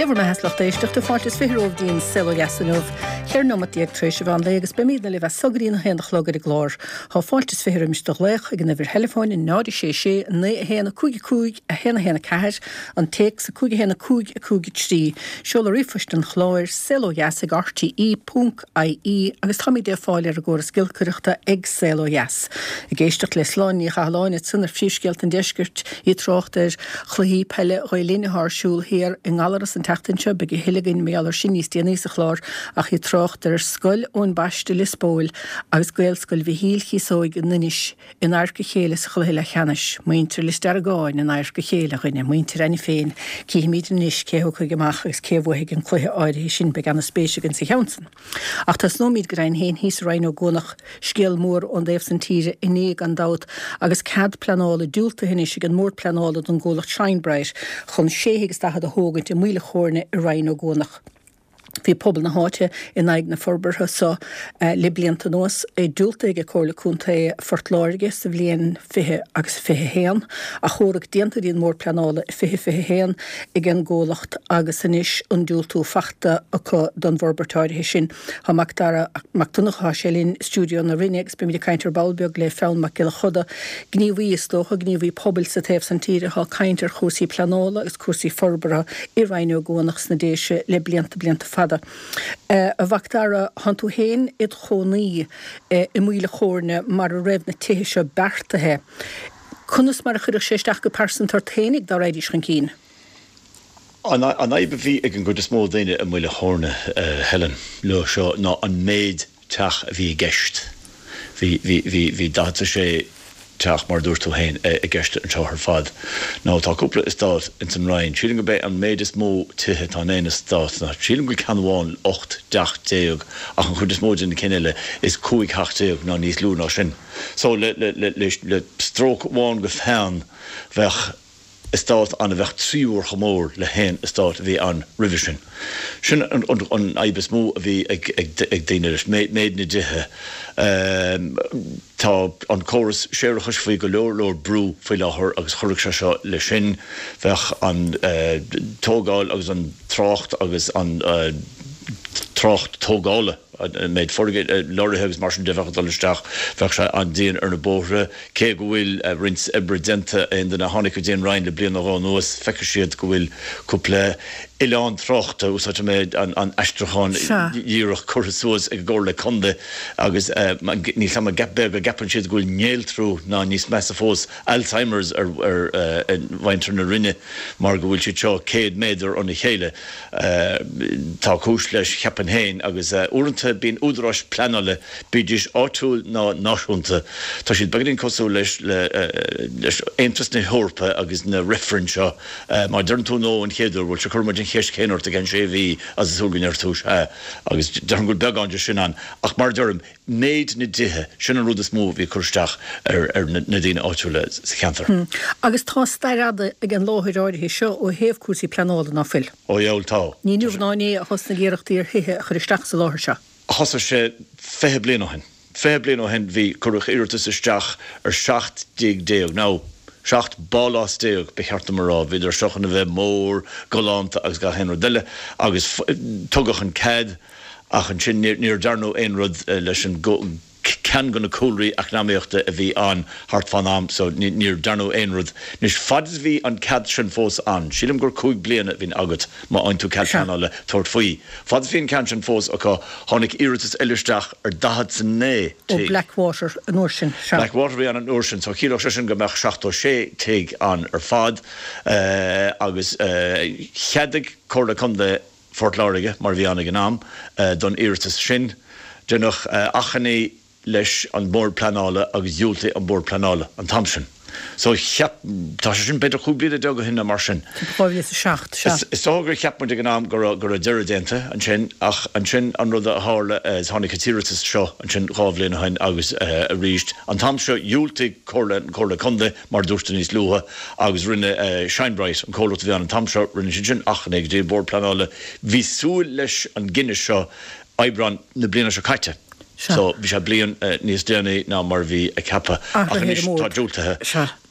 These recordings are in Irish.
Sé bhur mbeatha, a lucht éisteachta, fáilte is 20 romhaibh go dtí an Saol Ó Dheas inniu, 14 nóimeat tar éis an mheán lae agus beimídne libh as so go dtí an 1 a chlog ar an gclár. Tá fáilte is 20 roimis do ghlaoch ag an uimhir theileafóin 0 6 6 9 1 5 5 1 1 4, an téacs 5 1 5 5 3, seoladh ríomhphoist an chláir, saolodheas ag rte ponc ie agus táimid le fáil ar an gcóras giolcaireachta ag Saol Ó Dheas. Ag éisteacht le Sláine Ní Chathalláin ansan ar Phríomhscéalta an Deiscirt, í ag trácht ar chluichí peile Ghael Linn atá ar siúl thiar i nGallaras an tseachtain seo, beidh a thuilleadh againn mar gheall ar sin níos déanaí sa chlár, ach í ag trácht ar Scoil Eoin Baiste i Lios Póil agus Gaelscoil Mhichíl Chíosóig in Inis in adharca a chéile sa chluiche leathcheannais. Muintir Lios Deargáin in adharca a chéile, a dhuine, muintir Ainne féin. Cífimid anois cé a thiocfaidh amach agus cé a bhuafaidh an cluiche áirithe sin, beidh ana-spéis againn sa cheann san. Ach tosnóimid go deimhin féin thíos i Rinn Ó gCuanach, scéal mór ón dtaobh san tíre inné gan dabht agus cead pleanála diúltaithe anois ag an mBord Pleanála don gcomhlacht Shine Bright chun sé thigh is daichead a thógaint i Maoil a' Chóirne i Rinn Ó gCuanach. Bhí pobal na háite in aghaidh na forbartha so le blianta anuas, é diúltaithe ag Comhairle Contae Phort Láirge sa bhliain 20 agus 21, achomharc déanta go dtí an mBord Pleanála i 2021 ag an gcomhlacht agus anois an diúltú fachta acu don bhforbairt áirithe sin. Tá Mac Dara Mac Donncha, tá sé linn i stiúideo na Rinne agus beimid ag caint ar ball beag le Fionn Mac Giolla Choda, gníomhaí is dócha, gníomhaí pobail sa taobh san tíre atá ag caint ar chúrsaí pleanála agus cúrsaí forbartha i Rinn Ó gCuanach sna Déise le blianta, blianta fada. A Mhac Dara, thánn tú féin id chónaí i Maoil a' Chóirne mar a raibh na tithe seo beartaithe. Conas mar a chuirfeadh sé isteach go pearsanta ort féinig dá raghaidís chun cinn? An fhadhb a bhí ag an gcuid is mó daoine i Maoil a' Chóirne, Helen, leo seo ná an méid teach a bhí i gceist. Bhí, bhí, bhí, bhí 46 teach, mar a dúirt tú féin, i gceist anseo ar fad. Now tá cúpla eastát ins an Rinn. Sílim gurb é an méid is mó tithe atá in aon eastát ná, sílim go bhfuil ceann amháin 18 dteach ach an chuid is mó de na cinn eile is 15 theach ná níos lú ná sin. So le, le, le, le, le stróc amháin de pheann bheadh, eastát ann a bheadh 3 uair chomh mór le haon eastát a bhí ann roimhe sin. Sin an fhadhb is mó a bhí ag daoine leis, méid na dtithe. Tá an córas séarachais faoi go leor leor brú faoi láthair agus chuirfeadh sé seo leis sin. Bheadh an tógáil agus an trácht agus an trácht tógála, an méid lorraithe agus mar sin de bheadh ag dul isteach, bheadh sé an-dian ar na bóithre. Cé go bhfuil roinnt oibre déanta, aon duine a tháinig go dtí an Rinn le bliain nó dhó anuas, feicfidh siad go bhfuil cúpla oileán tráchta, úsáidfidh mé an aistriúchán dhíreach, curtha suas ag an gComhairle Contae agus níl 's a'm an b'fhéidir go gceapann siad go bhfuil néaltrú ná níos measa fós, Alzheimer's ar mhuintir na Rinne mar go bhfuil siad seo 100 méadar óna chéile. Tá cúis leis, cheapfainn féin, agus uaireanta bíonn údaráis pleanála, bídís áitiúil ná náisiúnta, tá siad beagáinín cosúil leis leis Aontas na hEorpa agus na reifrinn seo. Má deireann tú no an chéad uair, bhuel sure cuirfidh muid an cheist chéanna ort i gceann sé mhí agus is súil go ndéarfaidh tú sea. Agus déarfainn go bhfuil beagán de sin ann. Ach mar a deirim, méid na dtithe, sin an rud is mó a bhí ag cur isteach ar na daoine áitiúla sa cheantar. Agus tá stair fhada ag an láthair áirithe seo ó thaobh cúrsaí pleanála, ná fuil? Ó dheabhail tá. Ní inniu ná inné a thosnaigh iarrachtaí ar thithe a chur isteach sa láthair seo. Thosaigh sé 20 bliain ó shin. 20 bliain ó shin bhí, cuireadh iarratas isteach ar 17 dtigh, nó 17 bpálás, ba cheart dom a rá. Bhíodar seo chun a bheith mór, galánta agus gach aon rud eile agus tugadh an cead. Ach ansin níor dearnadh aon rud leis an ceann de na cúlraí eacnamaíochta a bhí ann thart fán am so níor dearnadh aon rud. Anois fad is a bhí an cead sin fós ann, sílim gur 5 bliana a bhíonn agat má fhaigheann tú cead pleanála tabhairt faoi. Fad is a bhí an ceann sin fós acu, tháinig iarratas eile isteach ar 49 Ó tigh. Blackwater an uair sin, sea. Blackwater a bhí ann an uair sin so chiallódh sé sin go mbeadh 76 tigh ann ar fad agus cheadaigh Comhairle Contae Phort Láirge, mar a bhí ann ag an am, don iarratas sin. Deineadh achainí leis an mBord Pleanála agus dhiúltaigh an Bord Pleanála an t-am sin. So cheap, tá sé sin b'fhéidir 15 bliana ó shin nó mar sin. 2007, sea. Is dócha gur cheap muid ag an am go raibh, go raibh deireadh déanta ansin ach ansin an rud a tharla, tháinig an t-iarratas seo ansin dhá bhliain ó shin agus arís an t-am seo dhiúltaigh Comhairle, an Chomhairle Contae, mar a dúirt tú níos luaithe, agus rinne Shine Bright, an comhlacht a bhí ann an t-am seo, rinne siad sin achainí go dtí an Bord Pleanála. Bhí súil leis an gcinneadh seo Aibreán na bliana seo caite. So bhí sé bliain níos déanaí ná mar a bhí ceaptha. Ach anois tá diúltaithe.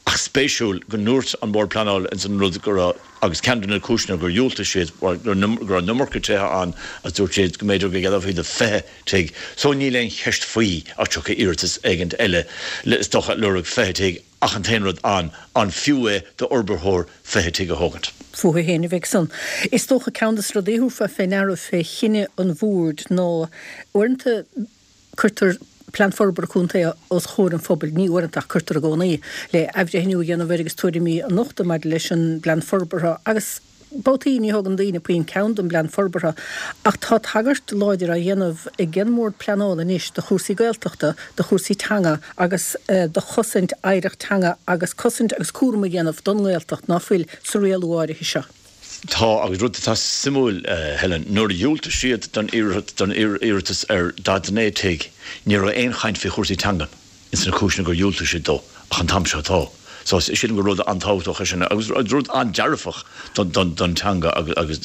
Ach. Ach spéisiúil go ndúirt an Bord Pleanála ins an rud go raibh, agus ceann de na cúiseanna gur dhiúltaigh siad, go raibh an iomarca tithe ann agus dúirt siad go mb'fhéidir go gceadófaí do 20 tigh. So níl aon cheist faoi ach tiocfaidh iarratas éigint eile le, is dócha, lorg 20 tigh ach an t-aon rud an, an fiú é d'fhorbarthóir 20 tigh a thógaint? Fúthu féin a bheidh san. Is dócha ceann de na rudaí a thabharfá fé ndeara fé chinneadh an Bhoird ná uaireanta, Cuirtear Plean Forbartha Contae os chomhair an phobail, ní uaireanta ach cuirtear i gcónaí, le athbhreithniú a dhéanamh air agus tuairimí a nochtadh maidir leis an bPlean Forbartha agus babhtaí ní thógann daoine puinn ceann don bPlean Forbartha ach tá tagairt láidir á dhéanamh ag an mBord Pleanála anois do chúrsaí Gaeltachta, do chúrsaí teanga agus do chosaint oidhreacht teanga agus cosaint agus cúram a dhéanamh don nGaeltacht ná fuil sa rialú áirithe seo. Tá, agus rud atá suimiúil, Helen, nuair a dhiúltaigh siad don iarratas ar 49 tigh, ní raibh aon chaint faoi chúrsaí teangan ins na cúiseanna gur dhiúltaigh siad dó, ach an t-am seo tá. So, sílim gur rud an-tábhachtach é sin agus rud an-dearfach don teanga agus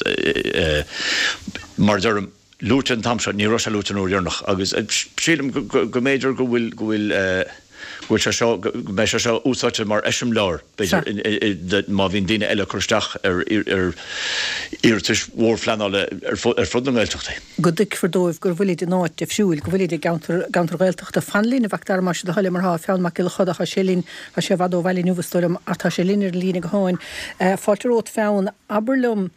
mar a deirim, luaite an t-am seo, ní raibh sé luaite an uair dheireanach agus sílim go mb'fhéidir go bhfuil, go bhfuil, go bhfuil sé seo, go mbeidh sé seo úsáidte mar eiseamláir, b'fhéidir, má bhíonn daoine eile ag cur isteach ar iarratais mhórphleanála ar fud na nGaeltachtaí. go dtuigfear dóibh go bhfuilid in áit difriúil, go bhfuilid i gceantar, gceantar Ghaeltachta. Fan linn, a Mhac Dara, más é do thoil é mar tá Fionn Mac Giolla Choda, tá sé linn, tá sé i bhfad ó bhaile inniu is dóigh liom, ach tá sé linn ar an líne gutháin. Fáilte romhat Fionn. Abair liom,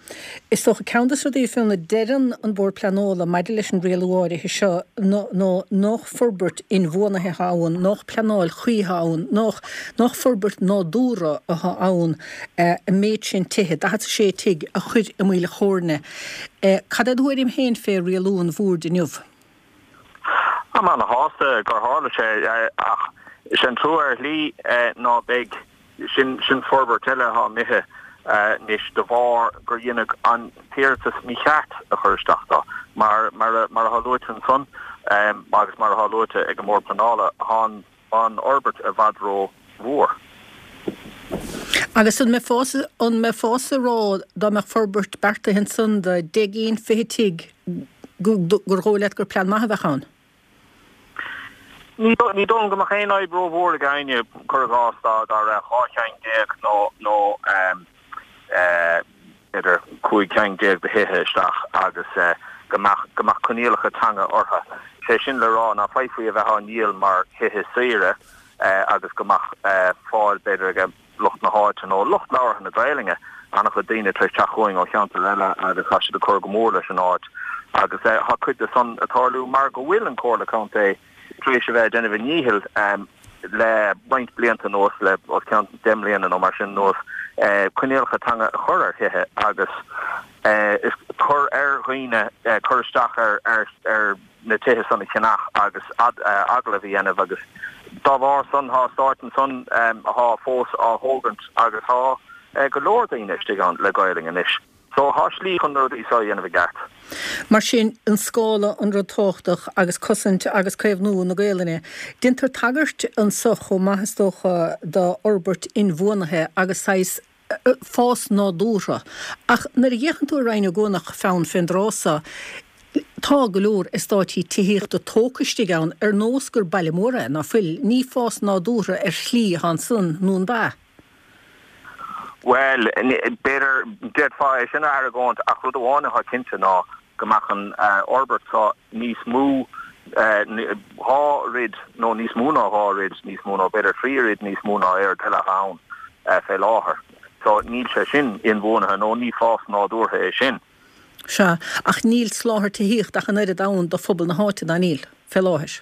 Is dócha, ceann de na rudaí, Fionn, a deireann an Bord Pleanála maidir leis an rialú áirithe seo ná nách forbairt inbhuanaithe atá ann, nách pleanáil chuí atá ann, nách, nách forbairt nádúrtha atá ann an méid sin tithe, 46 tigh, a chur i Maoil Chóirne. Cad é do thuairim féin fé rialú an Bhoird inniu? Táim ana-shásta gur tharla sé ach sé an trua ar shlí ná beidh Sin sin forbairt eile atá imithe anois de bharr gur dheineadh an t-iarratas mícheart a chur isteach dó. Mar mar a mar atá luaite ansan agus mar atá luaite ag an mBord Pleanála, thá an an fhorbairt i bhfad ró mhór. Agus an mbeifeá an mbeifeása ag rá dá mbeadh forbairt beartaithe ansan de 10 gcinn, 20 tigh gur dhóigh leat gur plean maith a bheadh ann? Ní dóigh liom go mbeadh aon fhadhb rómhór ag éinne, cuir i gcás, dá raibh 12 cheann nó nó b'fhéidir 15 ceann de thithe isteach agus go mbeadh go mbeadh coinníollacha teanga orthu. Sé sin le rá ná féadfaí a bheith á ndíol mar thithe saoire agus go mbeadh fáil b'fhéidir ag lucht na háite nó lucht labhartha na Gaelainne. An-chuid daoine tar éis teacht chugainn ó cheantair eile agus tá siad ag cur go mór leis an áit agus tá cuid de san ag tarlú mar go bhfuil an Chomhairle Contae tar éis a bheith ag déanamh a ndíchill le roinnt blianta anuas, le os cionn 10 mbliana nó mar sin anuas, coinníollacha teanga a chur ar thithe agus cur ar dhaoine cur isteach ar ar na tithe san a cheannach agus agallamh a dhéanamh agus dá bharr san thá eastáit ansan athá fós á thógaint agus thá go leor daoine istigh ann le Gaelainn anois. So thá slí chun na rudaí so a dhéanamh i gceart. Mar sin, an scála an rud tábhachtach agus cosaint agus caomhnú na Gaelainne. Déantar tagairt anso chomh maith is dócha do fhorbairt inbhuanaithe agus saghas fás nádúrtha. Ach nuair a fhéachann tú ar Rinn Ó gCuanach, Fionn, fén dtráth so, tá go leor eastáití tithíochta tógtha istigh ann ar nós gur baile mór é, ná fuil? Ní fás nádúrtha ar shlí atá ansan, nó an b'ea? Bhuel, b'fhéidir, d'fhéadfá é sin a argóint ach rud amháin atá cinnte ná go mbeadh an fhorbairt seo níos mó, dhá oiread nó níos mó ná dhá oiread níos mó nó b'fhéidir thrí oiread níos mó ná aon rud eile atá ann fé láthair. So níl sé sin inbhuanaithe nó ní fás nádúrtha é sin. Sea, ach níl soláthar tithíochta ach an oiread ann do phobal na háite, ná níl, fé láthair?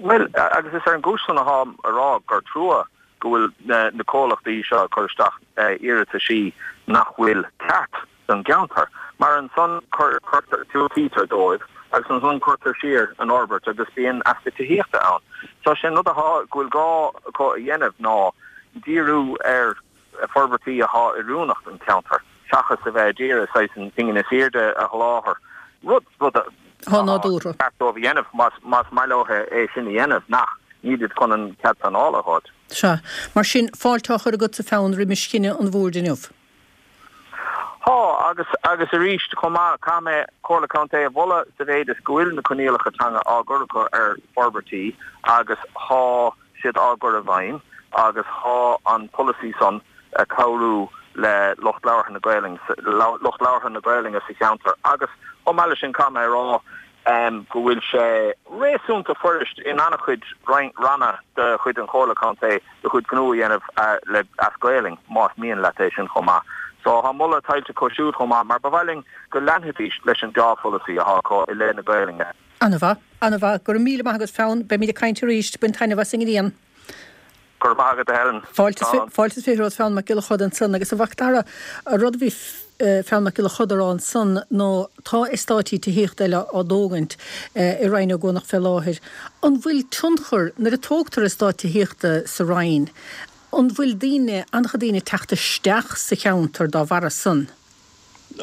Bhuel, agus is ar an gcúis san atáim a rá gur trua go bhfuil na comhlachtaí seo ag cur isteach iarrataisí nach bhfuil ceart don gceantar, mar ansan cuirtear, diúltaítear dóibh agus ansan cuirtear siar an fhorbairt agus bíonn easpa tithíochta ann. So sé an rud athá, go bhfuil gá acu a dhéanamh ná díriú ar forbairtí athá oiriúnach don cheantar seachas a bheith a d'iarraidh saghas an phingin is airde a sholáthar, rud, rud athá nádúrtha. ceart dóibh a dhéanamh más, más maith leo é sin a dhéanamh, ach nílid chun an cead pleanála a fháilt. Sea. Mar sin, fáilte á chur agatsa Fionn roimis chinneadh an Bhoird inniu. Thá, agus, agus arís, chomh maith, caithfidh mé Comhairle Contae a mholadh sa mhéid is go bhfuil na coinníollacha teanga á gcur acu ar forbairtí agus thá. siad á gcur i bhfeidhm agus thá an polasaí san a' cabhrú le lucht labhartha na Gaelainne, lucht labhartha na Gaelainne sa cheantar agus chomh maith leis sin caithfidh mé a rá go bhfuil sé réasúnta fuirist in an-chuid ranna de chuid an Chomhairle Contae do chuid gnó a dhéanamh le as Gaelainn más mian leat é sin chomh maith. So thá moladh tuillte acu siúd chomh maith mar ba mhaith linn go leanfaidís leis an deá-pholasaí athá acu i leith na Gaelainne. An-mhaith. An-mhaith. Go raibh míle maith agat Fionn. Beimid ag caint arís. Bain taitneamh as an ngrian. Go raibh maith agat, a Helen. Fáilte is 20 romhat Fionn Mac Giolla Choda ansan. Agus a Mhac Dara, an rud a bhí Fionn Mac Giolla Choda a rá ansan ná tá eastáití tithíochta eile á dtógaint i Rinn Ó gCuanach fé láthair. An bhfuil tionchar, nuair a tógtar eastát tithíochta sa Rinn, an bhfuil daoine, an-chuid daoine ag teacht isteach sa cheantar dá bharra san?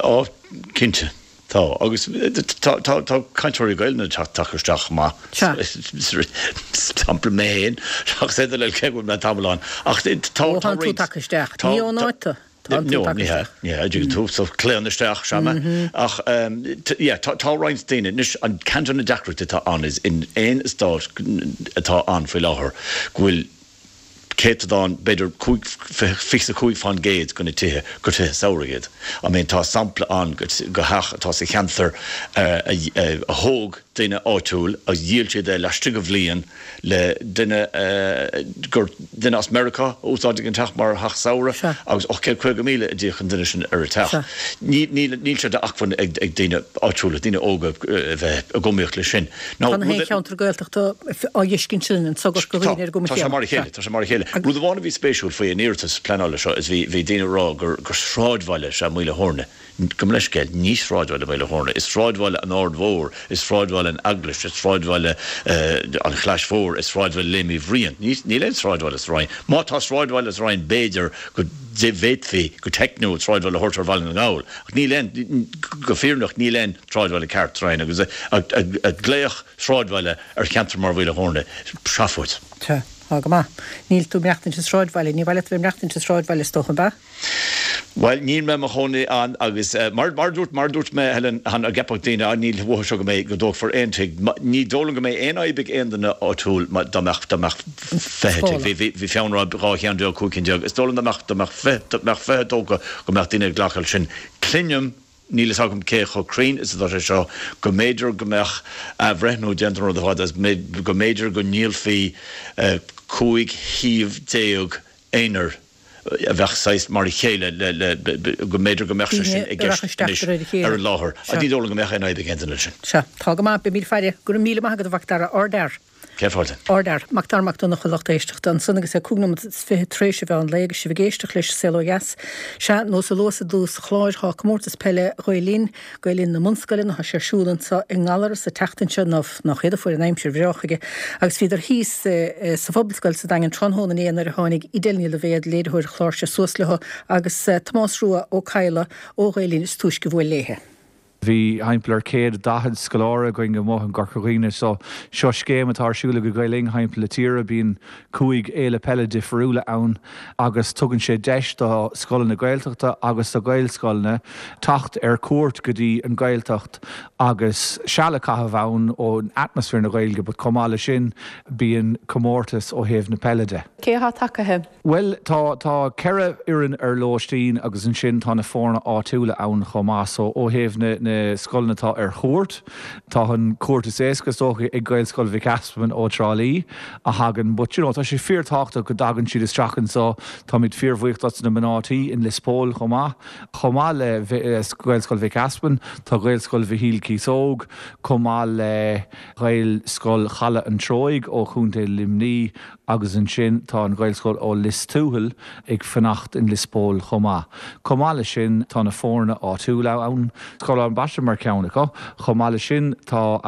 Á, cinnte, tá. Agus tá, tá, tá cainteoirí Gaelainne ag teacht isteach chomh maith. Sea. Sampla mé féin, ach is féidir le cé go bhfuil mé tamall ann. Ach tá, tá Ó, tánn tú roinnt, tagtha isteach. tá, Ní ón tá, áit tú. Tánn tú No, tagtha ní hea, isteach. ní hea, dtuigeann tú, so claonadh isteach, sea mé. Ach, yeah, tá, tá roinnt daoine, anois, an ceann de na deacrachtaí atá ann is in aon eastát atá ann faoi láthair go bhfuil, céatadán, b'fhéidir 25% de na tithe gur tithe samhraidh iad. I mean tá sampla ann de theach atá sa cheantar a thóg duine áitiúil agus dhíol siad é laistigh de bhliain le duine gur duine as Meiriceá a úsáideann an teach mar theach samhraidh agus 850,000 a d'íoc an duine sin ar an teach. Níl sé d'acmhainn ag daoine áitiúla, daoine óga a bheith ag iomaíocht leis sin. Tá na haon cheantar Gaeltachta á dh'fheiscint sin, an sagart go dhaoine ar an gcuma chéanna. Tá sé mar a chéile, tá sé mar a chéile. Rud amháin a bhí spéisiúil faoi an iarratas pleanála seo is bhí, bhí daoine ag rá gur, gur sráidbhaile is ea Maoil a' Thóirne. Gabh mo leithscéal, ní sráidbhaile Maoil a' Thóirne. Is sráidbhaile an Aird Mhóir, is sráidbhaile an Eaglais, is sráidbhaile an Chlais Mhóir, is sráidbhaile Léim Uí Bhriain. Ní, níl aon sráidbhaile sa Rinn. Má tá sráidbhaile sa Rinn b'fhéidir go bhféadfaí go teicniúil sráidbhaile a thabhairt ar Bhaile na nGall. Ach níl aon, go fírinneach, níl aon sráidbhaile ceart sa Rinn agus ag glaoch sráidbhaile ar cheantar mar Mhaoil a' Thóirne, seafóid. Tá, tá go maith. Níl tú ag maireachtaint i sráidbhaile, ní mhaith leat a bheith ag maireachtaint i sráidbhaile is dócha, ab ea? Bhuel, níl mé i mo chónaí ann agus mar mar a dúirt, mar a dúirt mé, Helen, cheana, an gceapfadh daoine, ah, níl uathu seo go mbeidh, go dtógfar aon tigh. Ní dóigh liom go mbeidh aon fhadhb ag aon duine áitiúil má, dá mbeadh, dá mbeadh 20 tigh. Bhí, bhí, bhí Fionn ag rá 12 cheann, 15 cheann. Is dóigh liom dá mbeadh, dá mbeadh 20, dá mbeadh 20 tógtha go mbeadh daoine ag glacadh leis sin. Cluinim. Níl fhios agam cé chomh cruinn is atá sé seo, go mb'fhéidir go mbeadh athbhreithniú déanta ar an rud ar fad agus go mb'fhéidir go ndíolfaí 15 shuíomh aonair a bheadh saghas mar a chéile le, go mb'fhéidir go mbeadh sé sin i gceist anois ar an láthair. Ní dóigh liom go mbeadh aon fhadhb ag aon duine leis sin. Sea, tá go maith, beimid ag faire. Go raibh míle maith agat a Mhac Dara, ardfhear. Céad fáilte. Ardfhear. Mac Dara Mac Donncha, lucht éisteachta, ansan agus é 25 nóiméad tar éis an mheán lae agus sibh ag éisteacht leis An Saol Ó Dheas. Sea, nós a luas i dtús an chláir, thá comórtas peile Ghael Linn, Gael Linn na mbunscoileanna, thá sé ar siúl anso i nGallaras an tseachtain seo, ná nach iad a fuair an aimsir bhreá chuige, agus bhíodar thíos sa Phobalscoil sa Daingean tráthnóna inné nuair a tháinig Edel Ní Loibhéad, léiritheoir an chláir seo suas leo agus Tomás Rua Ó Cadhla ó Ghael Linn is túisce a bhuail léithe. Bhí thimpeall ar 140 scoláire againn amuigh i gCorca Dhuibhne so seo scéim atá ar siúl ag Gael Linn thimpeall na tíre. Bíonn 5 fhéile peile difriúla ann agus tugann sé deis do scoileanna Gaeltachta agus do Ghaelscoileanna teacht ar cuairt go dtí an Ghaeltacht agus seal a chaitheamh ann ó atmaisféar na Gaeilge but chomh maith le sin bíonn comórtas ó thaobh na peile de. Cé atá tagaithe? Bhuel, tá, tá 4 fhoireann ar lóistín agus ansin tá na foirne áitiúla ann chomh maith. So, ó thaobh na, na scoileanna atá ar chuairt, tá an cuairt is éasca is dócha ag Gaelscoil Mhic Easmainn ó Trá Lí a thagann but you know tá sé fíor-tábhachtach go dtagann siad isteach anseo. Táimid fíor-bhuíoch dos na mná tí in Lios Póil chomh maith. Chomh maith le Gaelscoil Mhic Easmainn, tá Gaelscoil Mhichíl Cíosóg, chomh maith le Gaelscoil Chaladh an Treoigh ó Chontae Luimnigh, Agus ansin tá an Ghaelscoil ó Lios Tuathail ag fanacht in Lios Póil chomh maith. Chomh maith leis sin tá na foirne áitiúla ann, Scoil Abhainn Baiste mar cheann acu. Chomh maith leis sin tá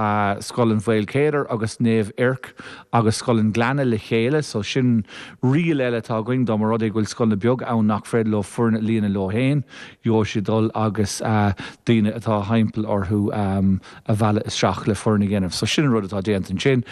Scoil an Mhaoilchéadair agus Naomh Eirc agus Scoil an Ghleanna le chéile so sin riail eile atá againn dá mba rud é go bhfuil scoileanna beaga ann nach féidir leo foireann a líonadh leo féin, gheobhaidh siad dul agus daoine atá thimpeall orthu a mhealladh isteach le foireann a dhéanamh. So sin an rud atá déanta ansin.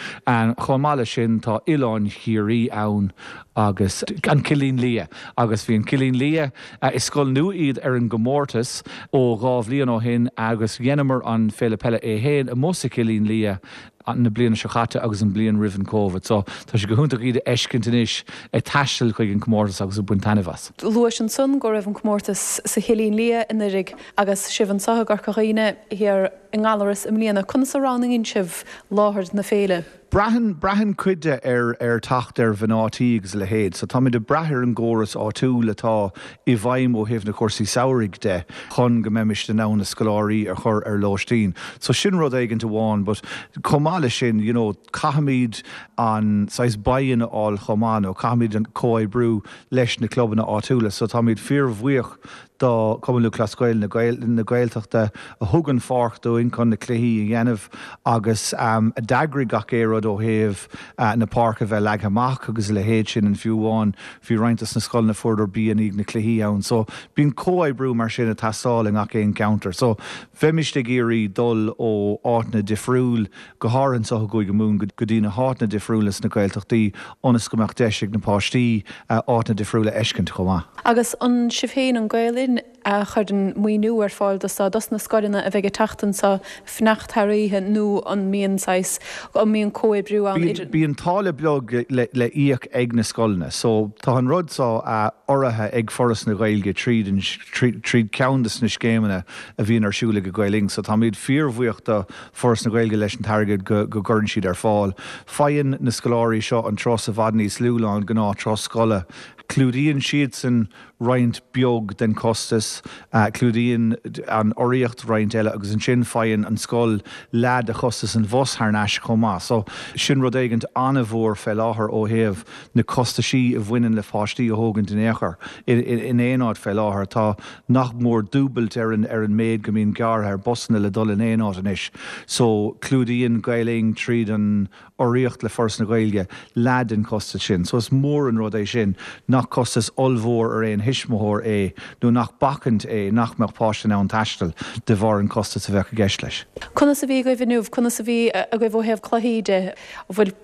Chomh maith leis sin tá Oileán Chiarraí ann agus an Cillín Liath. Agus bhí an Cillín Liath, is scoil nua iad ar an gcomórtas ó dhá bhliain ó shin agus dheineamar an Féile Peile é fhéin amuigh sa Chillín Liath. na bliana seo chaite agus an bliain roimh an Covid. So tá sé go hiontach iad a fheiscint anois ag taisteal chuig an comórtas agus ag baint taitneamh as. Luais ansan go raibh an comórtas sa Chillín Liath anuraidh agus sibh anso i gCorca Dhuibhne thiar i nGallaras i mbliana. Conas a roghnaíonn sibh láthair na féile? Braitheann, braitheann cuid de ar, ar teacht ar mhná tí agus a leithéid. So táimid ag brath ar an gcóras áitiúil atá i bhfeidhm ó thaobh na cúrsaí samhraidh de chun go mbeimist in ann na scoláirí a chur ar lóistín. So sin rud éigint amháin but chomh maith leis sin, you know, caithfimid an saghas buy-in a fháil chomh maith nó caithfimid an comhoibriú leis na clubanna áitiúla. So táimid fíorbhuíoch do Chumann Lúthchleas Gael na Gaeltachta a thug an pháirc dúinn chun na cluichí a dhéanamh agus a d'eagraigh gach aon rud ó thaobh na páirce a bheith leagtha amach agus a leithéid sin and fiú amháin bhí roinnt dos na scoileanna fuaireadar bia i ndiaidh na cluichí ann. So bíonn comhoibriú mar sin ag teastáil i ngach aon cheantar. So bheimist ag iarraidh dul ó áiteanna difriúil go háirithe anseo i gCúige Mumhan, go dtí na háiteanna difriúla sna Gaeltachtaí ionas go mbeadh deis ag na páistí áiteanna difriúla a fheiscint chomh maith. Agus an sibh féin, an Gael Linn, a chuireann maoiniú ar fáil dos dos na scoileanna a bheidh ag teacht anseo fanacht thar oíche nó an mbíonn saghas, an mbíonn comhoibriú ann idir. Bíonn táille beag le íoc ag na scoileanna so tá an rud seo urraithe ag Foras na Gaeilge tríd an, tríd ceann de na scéimeanna a bhíonn ar siúl ag Gael Linn so táimid fíorbhuíoch do Foras na Gaeilge leis an t-airgead go gcuireann siad ar fáil. Faigheann na scoláirí seo an turas i bhfad níos lú ná an gnáth turas scoile. Clúdaíonn siadsan roinnt beag den chostas, clúdaíonn an urraíocht roinnt eile agus ansin faigheann an scoil leath de chostas an bhus thar n-ais chomh maith. So sin rud éigint an-mhór fé láthair ó thaobh na costaisí a bhaineann le páistí a thógaint in aon chor in aon áit fé láthair. Tá nach mór dúbailt ar an ar an méid go mbíonn gearrtha ar busanna le dul in aon áit anois so clúdaíonn Gael Linn tríd an urraíocht le Foras na Gaeilge leath den chostas sin so is mór an rud é sin nach costas ollmhór ar aon thuismitheoir é nó nach bacaint é nach mbeadh páiste in ann taisteal de bharr an costas a bheadh i gceist leis. Conas a bhí agaibh inniu? Conas a bhí agaibh ó thaobh cluichí de? An bhfuil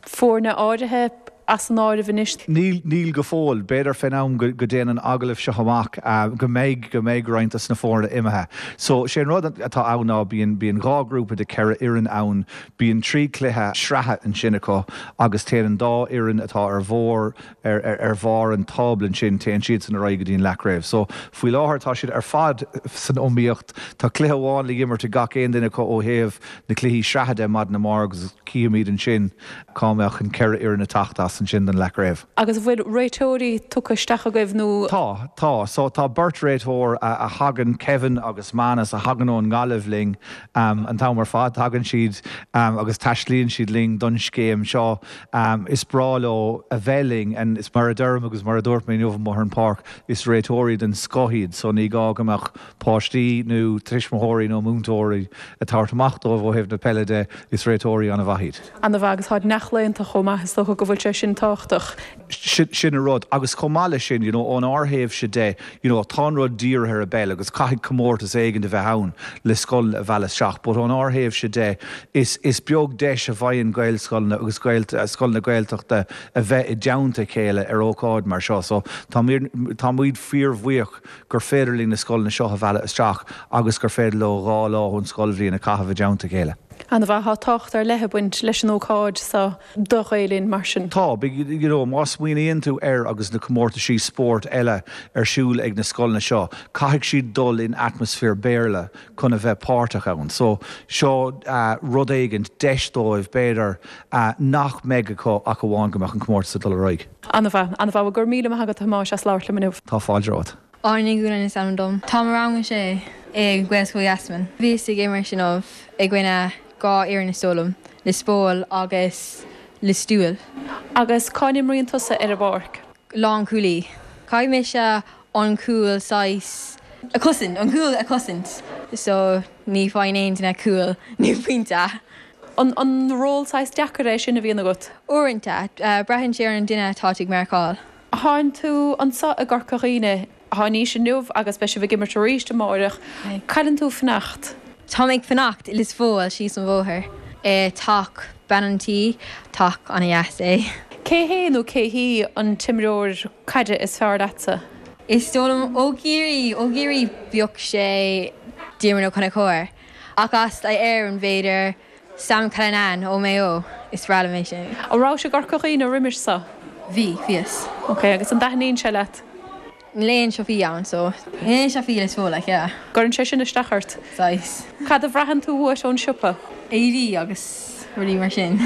foirne áirithe as an áireamh anois. Níl, níl go fóill. B'fhéidir fén am go dtéann an agallamh seo amach go mbeidh, go mbeidh roinnt dos na foirne imithe. So, sé an rud atá ann ná bíonn, bíonn 2 ghrúpa de 4 fhoireann ann, bíonn 3 cluiche sraithe ansin acu agus téann an dá fhoireann atá ar bharr, ar, ar, ar bharr an tábla ansin, téann siadsan ar aghaidh go dtí an leathchraobh. So, faoi láthair tá siad ar fad san iomaíocht. Tá cluiche amháin le himirt ag gach aon duine acu ó thaobh na cluichí sraithe de maidin amárach agus cífimid ansin cá mbeadh an 4 fhoireann ag teacht as ansin don leathchraobh. Agus an bhfuil réiteoirí tugtha isteach agaibh nó? Tá, tá. So tá beirt réiteoir a thagann, Kevin agus Manus, a thagann ón nGaillimh linn an t-am ar fad. Tagann siad agus taistlíonn siad linn don scéim seo. Is breá leo a bheith linn and is mar a deirim agus mar a dúirt mé inniu amuigh ar an pháirc, is réiteoirí den scoth iad so ní gá go mbeadh páistí nó tuismitheoirí nó múinteoirí ag tabhairt amach dóibh ó thaobh na peile de, is réiteoirí an-mhaith iad. An-mhaith agus táid neamhchlaonta chomh maith, is dócha go bhfuil sé sin tábhachtach. Sin an rud. Agus chomh maith leis sin, you know, ónár thaobhse de, you know, tá an rud dírithe ar an bpeil agus caithfidh comórtas éigin a bheith ann le scoileanna a mhealladh isteach but ónár thaobhse de, is, is beag deis a bhfaigheann Gaelscoileanna agus scoileanna Gaeltachta a bheith i dteannta a chéile ar ócáid mar seo. So tá, táimid fíorbhuíoch gur féidir linn na scoileanna seo a mhealladh isteach agus gur féidir leo 2 lá ón scoilbhliain a chaitheamh i dteannta a chéile. An-mhaith. Tá tábhacht ar leith ag baint leis an ócáid so do Ghael Linn mar sin. Tá. You know, má smaoiníonn tú air agus na comórtaisí spóirt eile ar siúl ag na scoileanna seo, caithfidh siad dul in atmaisféar Béarla chun a bheith páirteach ann. So, seo rud éigint, deis dóibh, b'fhéidir, nach mbeidh acu ach amháin go mbeadh an comórtas ag dul ar aghaidh. An-mhaith, an-mhaith. Bhuel, go raibh míle maith agat, a Thomáis, as labhairt liom inniu. Tá fáilte romhat. Áine Ní Dhúláin is ainm dom. Táim i rang a sé i Gaelscoil Easmainn. Bhíos ag imirt inniu i gcoinne 2 fhoireann is dóigh liom, Lios Póil agus Lios Tuathail. Agus cá n-imríonn tusa ar an bpáirc? Lánchúlaí. Caithfidh mise an cúl saghas a chosaint, an cúl a chosaint so ní faigheann aon duine cúl nó pointe. An ról saghas deacair é sin a bhíonn agat? Uaireanta. Braitheann sé ar an duine atá tú ag marcáil. Tánn tú anso i gCorca Dhuibhne tháinís inniu agus beidh sibh ag imirt arís amáireach. Cá bhfuileann tú ag fanacht? Tá mé ag fanacht i Lios Póil síos an bhóthar i teach bean an tí, teach ana-dheas é. Cé hé nó cé hí an t-imreoir caide is fearr leatsa? Is dóigh liom ó Chiarraí, ó Chiarraí bheadh sé Diarmuid Ó Conchúir. Ach as Éirinn b'fhéidir. Sam Cullinane ó Maigh Eo, is breá liom é sin. An rabhais i gCorca Dhuibhne roimis so? Bhí, bhíos. Ok, agus an dtaitníonn sé leat? Níl aon siopaí ann so níl aon siopaí Lios Póil like yeah. Gcuireann sé sin isteach ort? Saghas. Cad a bhraitheann tú uait ón siopa? Éadaí agus rudaí mar sin.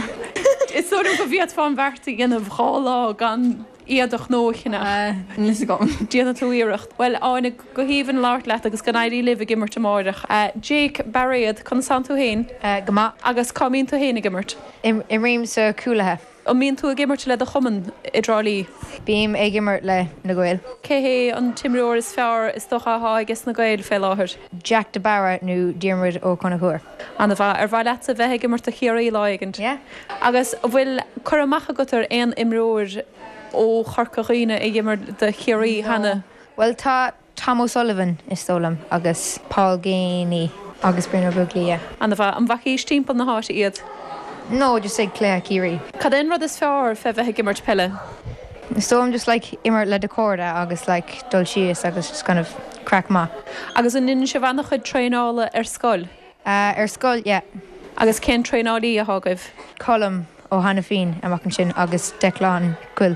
Is dóigh liom go bhféadfá an bheart a dhéanamh 2 lá gan éadach nua a cheannach. Níl fhios agam. Déanfaidh tú iarracht. Bhuel, Áine, go haoibhinn labhairt leat agus go n-éirí libh ag imirt amáireach. Jake Bairéad, conas tánn tú féin? Go maith. Agus cá mbíonn tú féin ag imirt? Imrím sa cúlaithe. An mbíonn tú ag imirt le do chumann i dTrá Lí? Bím ag imirt le Na Gaeil. Cé hé an t-imreoir is fearr is dócha athá aiges na Gaeil fé láthair? Jack de Barra nó Diarmuid Ó Conchúir. Ana mhaith. Ar mhaith leatsa bheith ag imirt do Chiarraí lá éigint? Yeah. Agus an bhfuil cur amach agat ar aon imreoir ó Chorca Dhuibhne a d'imir do Chiarraí cheana? No. Bhuel tá Tom O'Sullivan is dóigh liom agus Paul Geaney agus Brian Ó Beaglaoich, yeah. Ana mhaith. An bhfacaís timpeall na háite iad? No, just ag cluiche Ciarraí. Cad é an rud is fearr fé bheith ag imirt peile? Is dóigh liom just like imirt le do chairde agus like dul síos agus just kind of craic maith. Agus an ndéanann sibh ana-chuid traenála ar scoil? Ar scoil, yeah. Agus cén traenálaí athá agaibh? Colm Ó hAiniféin amach ansin agus Declan Quill.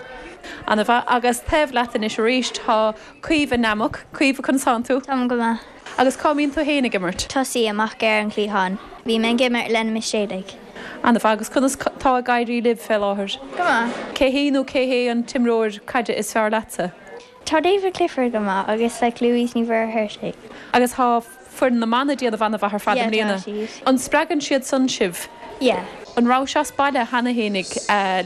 Ana mhaith. Agus taobh leat anois arís tá Caoimhe Nammock. Caoimhe, conas tánn tú? Táim go maith. Agus cá mbíonn tú féin ag imirt? Tosaí amach ar an chliathán. Bím ag imirt le na Mistéalaigh. Ana mhaith. Agus conas tá ag éirí libh fé láthair? Go maith. Cé hí nó cé hé an t-imreoir caide is fearr leatsa? Tá David Clifford go maith agus like Louise Ní Mhuircheartaigh. Agus tá foireann na mban ag déanamh ana-mhaith ar fad i Yeah, tá mbliana. siad. An spreagann siad san sibh? Yeah. An rabhais as baile cheana fhéinig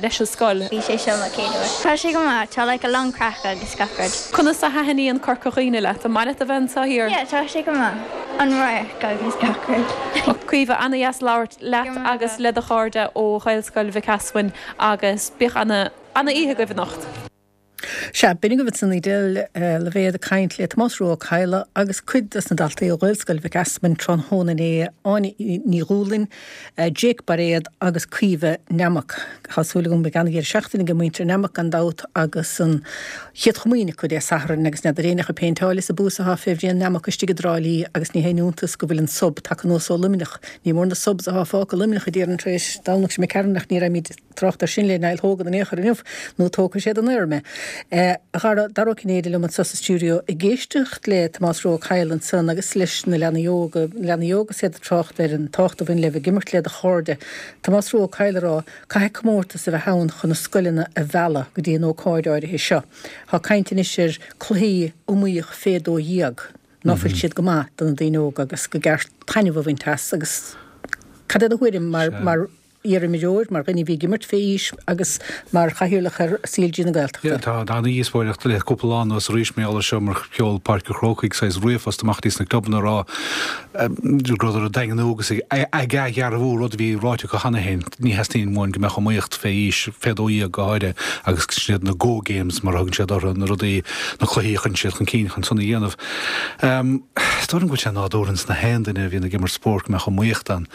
leis an scoil? Bhí sé seo mo chéad uair. Tá sé go maith, tá like a lán craic agus gach rud. Conas a thaitníonn Corca Dhuibhne leat? An maith leat a bheith anseo thiar? Yeah, tá sé go maith. An radharc agus gach rud. Caoimhe, ana-dheas labhairt leat agus le do chairde ó Ghaelscoil Mhic Easmainn agus bíodh ana, ana-oíche agaibh anocht. Sea, b'in agaibh ansan Edel Lavey ag caint le Tomás Rua Ó Cadhla agus cuid dos na daltaí ó Ghaelscoil Mhic Easmainn tráthnóna inné, Áine Ní Dhúlainn, Jake Bairéad agus Caoimhe Nammock. Tá súil agam go mbeidh ana-dheireadh seachtaine ag muintir Nammock gan dabht agus an Chéad Chomaoin acu Dé Sathairn agus n'fheadar éinne ach ag péinteáil is ag buasadh atá fé Bhrian Nammock istigh i dTrá Lí agus ní haon iontas go bhfuil an sub tagtha anuas ó Luimneach. Ní mór na subs atá fágtha i Luimneach a déarfainn tar éis Domhnach seo imigh tharainn ach ní raibh trácht air sin le Niall Hogan in aon chor inniu, nó tógfaidh sé den aer mé. A Dhara, Dara Ó Cinnéide liom anseo sa stiúideo ag éisteacht le Tomás Rua Ó Cadhla ansan agus leis na leanaí óga, na leanaí óga is iad ag trácht ar an tábhacht a bhain le bheith ag imirt le do chairde. Tomás Rua Ó Cadhla ag rá, caithfidh comórtas a bheith ann chun na scoileanna a mhealladh go dtí an ócáid áirithe seo. Tá caint anois ar cluichí iomaíoch fé 12. ná fuil siad go maith do na daoine óga agus go gceart taitneamh a bhaint as agus cad é do thuairim mar, mar iarimreoir, mar dhuine a bhí ag imirt fé aois agus mar chathaoirleach ar CLG na Gaeltachta? Yeah, tá ana-dhíospóireacht le cúpla lá anuas arís mar gheall air seo mar sheol Páirc an Chrócaigh saghas ríomhphost amach dtí sna clubanna ag rá go rabhadar ag daingniú agus ag athdhearbhú rud a bhí ráite acu cheana féin, ní theastaíonn uainn go mbeadh iomaíocht fé aois, fé 12 go háirithe, agus sin iad na go games mar a thugann siad orthu, na rudaí, na cluichí a chuireann siad chun cinn chun san a dhéanamh. Is dóigh liom go bhfuil sé nádúrtha ins na haon duine a bhíonn ag imirt spóirt go mbeadh iomaíocht ann.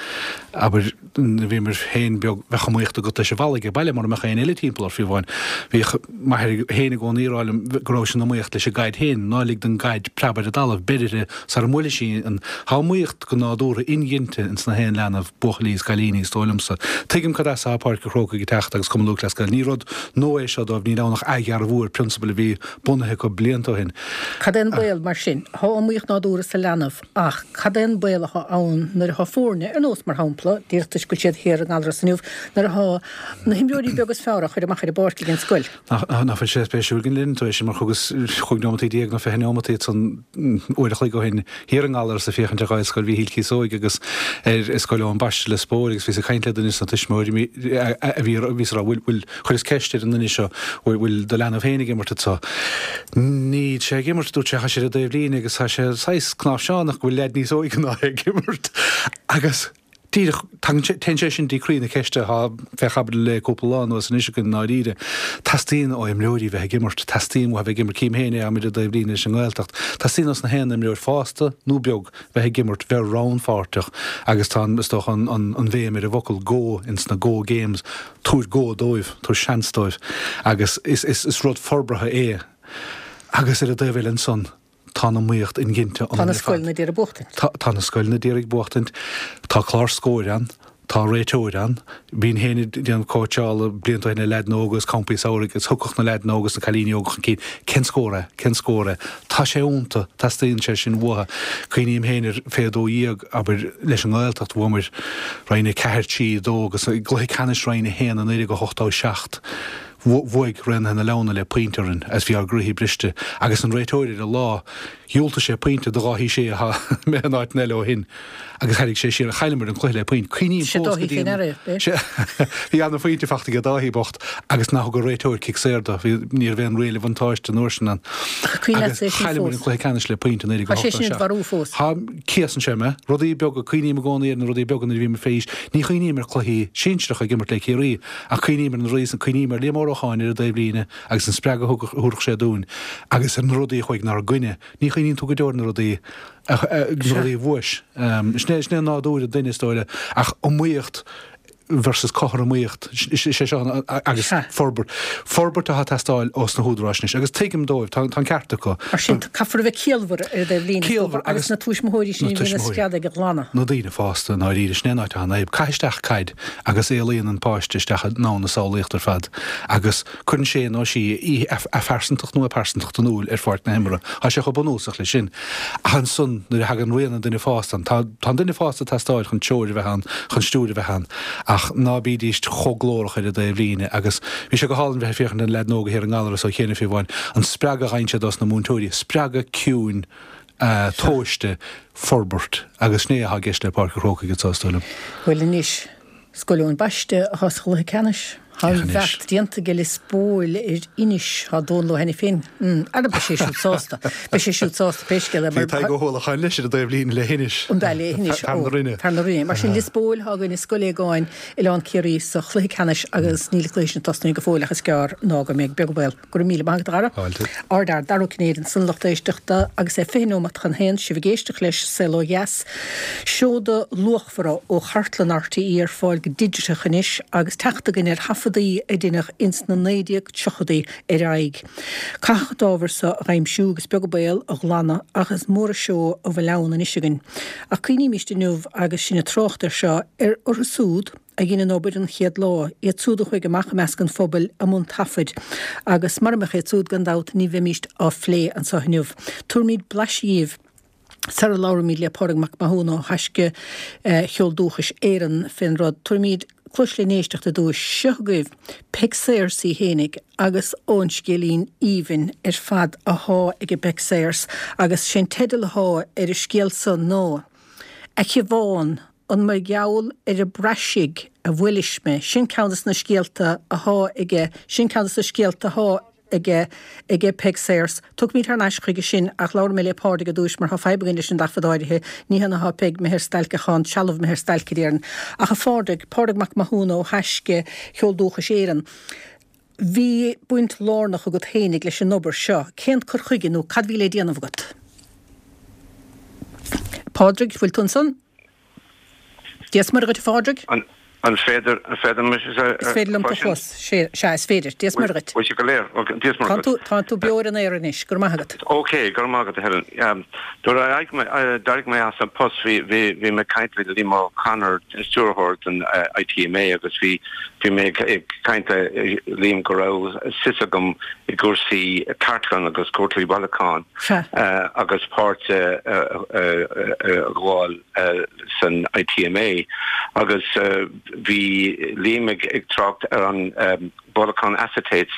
Abair, nuair a bhíomar féin beag, bheadh iomaíocht agat leis an bhfalla age baile mura mbeadh éinne eile timpeall ort fiú amháin. Bhíodh m'athair féin i gcónaí ag rá liom go raibh sin iomaíocht leis an gcaid féin, ná lig don gcaid preabadh ar an dtalamh, beir uirthi sara mbuailfidh sí an. Tá iomaíocht go nádúrtha inghinte ins na haon leanbh, buachaillí is cailíní, is dóigh liomsa. Tuigim cad as atá Páirc an Chrócaigh ag teacht agus Cumann Lúthchleas Gael. Ní rud nua é seo dóibh, níl ann ach athdhearbhú ar prionsabail a bhí bunaithe acu blianta ó shin. Cad é an baol mar sin? Tá iomaíocht nádúrtha sa leanbh ach cad é an baol atá ann nuair atá foirne, ar nós, mar shampla, díreach toisc go bhfuil siad thiar i nGallaras inniu, nuair atá na himreoirí beaga is fearr á chur amach ar an bpáirc ag an scoil? Nach bhfuil sé spéisiúil go ndeireann tú é sin mar thugas chúig neomataí déag nó 20 neomataí ansan uair a chloig ó shin thiar i nGallaras ag féachaint ar Ghaelscoil Mhíchíl Cíosóig agus ar Scoil Eoin Baiste Lios Póil agus bhíos ag caint le duine de na tuismitheoirí a bhí bhíos ag rá bhfuil bhfuil Chuireas ceist ar an nduine seo, bhfuil do leanbh féin ag imirt anso? Níl sé ag imirt, dúirt sé, tá sé ar an dtaobhlíne agus tá sé saghas cnáimhseánach go bhfuil leaid níos óige ná é ag imirt. Agus díreach, tagann sé, téann sé sin dtí croí na ceiste atá fé chaibidil le cúpla lá anuas anois againn i ndáiríre. Teastaíonn ó imreoirí bheith ag imirt, teastaíonn uathu bheith ag imirt, cím féin é, táimid ar an dtaobhlíne leis an nGaeltacht, teastaíonn ós na haon imreoir fásta nó beag bheith ag imirt, bheith rannpháirteach agus tá an, is dócha, an, an bhéim ar an bhfocal 'go' ins na 'go games'. Tabhair go dóibh, tabhair seans dóibh agus is rud forbartha é. Agus ar an dtaobh eile ansan, tá an iomaíocht inghinte ionainn ar fad. Tá na scoileanna d'iarraidh buachtaint. Tá na scoileanna d'iarraidh buachtaint. Tá clár Scóir ann. Tá réiteoir ann. Bhínn féin ag déanamh cóitseála blianta ó shin le leaideanna óga agus campaí samhraidh agus thiocfadh na leaideanna óga is na cailíní óga chun cinn, cén scór é? Cén scór é? Tá sé iontu, teastaíonn sé sin uathu. Cuimhním féin ar fé 12, abair, leis an nGaeltacht, bhuamar Roinn 4, 3, 2 agus i gcluiche ceannais Roinn 1 i 1987, bhuaigh Raonaithe na Leamhna le pointe orainn agus bhí ár gcroíthe briste agus an réiteoir ar an lá, dhiúltaigh sé pointe do Dháithí Sé atá imithe in áiteanna eile ó shin agus tharraing sé siar, chailleamar an cluiche le pointe. Cuimhním fós go dtí an. Sé Bhí ana-phointe fachta aige Dáithí bocht agus nár thug an réiteoir cic saor dó, bhí, ní raibh aon riail bhuntáiste an uair sin ann. Agus chailleamar an cluiche ceannais le pointe i 1987. Tá, céasann sé mé. Rudaí beaga, cuimhním i gcónaí ar na rudaí beaga nuair a bhím fé aois. Ní chuimhním ar chluichí sinsearacha ag imirt le Ciarraí ach cuimhním ar na rudaí san, cuimhním ar Liam Ó Rocháin ar an dtaobhlíne agus an spreagadh a thabharfadh sé dúinn agus ar na rudaí a chuaigh inár gcoinne. Ní chuimhníonn tú go deo ar na rudaí na rudaí a bhuais. Sin é sin é nádúr an duine is dóigh le ach iomaíocht versus cothromaíocht is é seo agus forbairt. Forbairt atá ag teastáil ós na húdaráis anois agus tuigim dóibh, tá an ceart acu. Mar sin, caithfear a bheith ciallmhar ar an dtaobh líne Ciallmhar agus na tuismitheoirí sin a bhíonn ag screadadh ag glanadh. Na daoine fásta i ndáiríre, sin é an áit atá an fhadhb. Caith isteach caid agus éalaíonn an páiste isteach i ndomhan na samhlaíochta ar fad agus cuireann sé nó sí a phearsantacht nó a pearsantacht in iúl ar pháirc na himeartha. Tá sé chomh bunúsach leis sin. Ach ansan, nuair a thagann rian an duine fásta ann, tá an duine fásta ag teastáil chun treoir a bheith ann, chun stiúir a bheith ann, ach ná bídíst chomh glórach ar an dtaobh líne. Agus bhí sé go hálainn bheith ag féachaint ar na leaideanna óga thiar i nGallaras ó chianaibh fiú amháin, an spreagadh a fhaigheann siad ós na múinteoirí, spreagadh ciúin, tomhaiste, forbairt. Agus sin é atá i gceist le Páirc an Chrócaigh anso, is dóigh liom. Bhuel anois, Scoil Eoin Baiste atá sa chluiche ceannais. Tá an bheart déanta ag Lios Póil ar Inis. Tá Dónal Ó hAiniféin. Ara beidh sé siúd sásta. Beidh sé siúd sásta pé scéal é mar. Bhí Tadhg Ó hUallacháin leis ar an dtaobh líne le hInis. An b'ea le hInis. Fear na Rinne. Fear na Rinne. Mar sin Lios Póil atá i gcoinne Scoil Aogáin, Oileán Ciarraí sa chluiche ceannais agus níl an cluiche sin tosnaithe go fóill ach is gearr ná go mbeidh. Beag an baol. Go raibh míle maith agat, a Dhara. Fáilte. Ár bhfear Dara Ó Cinnéide ansan, lucht éisteachta, agus é 20 nóimeat chun haon, sibh ag éisteacht leis Saol Ó Dheas. Seoda luachmhara ó chartlann RTÉ ar fáil go digiteach anois agus teacht againn ar thaifeadaí a deineadh ins na 1930idí ar aghaidh. Caitheadh an t-ábhar so a dh'aimsiú agus beag an baol a ghlanadh ach is mór an seó a bhfuil ann anois againn. Ach cuimhnímíst inniu agus sinn ag trácht air seo ar orthu súd, a dhein an obair an chéad lá, iad súd a chuaigh amach i measc an phobail i mbun taifid, agus mura mbeadh iad súd, gan dabht, ní bheimíst á phlé anseo inniu. Tabharfaimid blaiseadh dhíbh sara labhraímid le Pádraig Mac Mathúna ó Thaisce Cheol Dúchais Éireann fén rud. Tabharfaimid cluas le n-éisteacht ar dtúis. Seo agaibh Peig Sayers í fhéinig agus ón scéilín aoibhinn ar fad athá aige Peig Sayers agus sé'n teideal athá ar an scéal so ná A Shiobhán, An mar gheall ar an bpraisigh a bhuailis mé? Sin ceann des na scéalta athá aige, sin ceann des na scéalta athá aige, aige Peig Sayers. Tiocfaimid thar n-ais chuige sin ach labhróidh mé le Pádraig ar dtúis mar thá fadhb againn leis an dtaifead áirithe. Ní hionadh thá Peig imithe ar stailc ach thá an trealamh imithe ar stailc a déarfainn. Ach a Phádraig, Pádraig Mac Mathúna ó Thaisce Cheol Dúchais Éireann, bhí baint lárnach agat fhéinig leis an obair seo. Cén cur chuige nó cad bhí le déanamh agat? Pádraig, bhfuil tú ansan? Dia 's Muire dhuit a Phádraig. An féidir, an féidir mise a Is féidir liom tú a chlos. Sea, is féidir. Dia 's Muire dhuit. Bhfuil sé go léir. Ok, Dia 's Muire dhuit. Tá tú beo ar an aer anois. Go raibh maith agat. Ok, go raibh maith agat a Helen. Nuair a d'éirigh mé as an post bhí, bhí, bhí mé ag caint le Liam O'Connor, stiúrthóir den ITMA agus bhí, bhí mé ag caint le Liam go raibh suim agam i gcúrsaí cartlann agus cúrsaí bailiúcháin agus páirt a ghabháil san ITMA agus bhí Liam ag trácht ar an bailiúchán acetates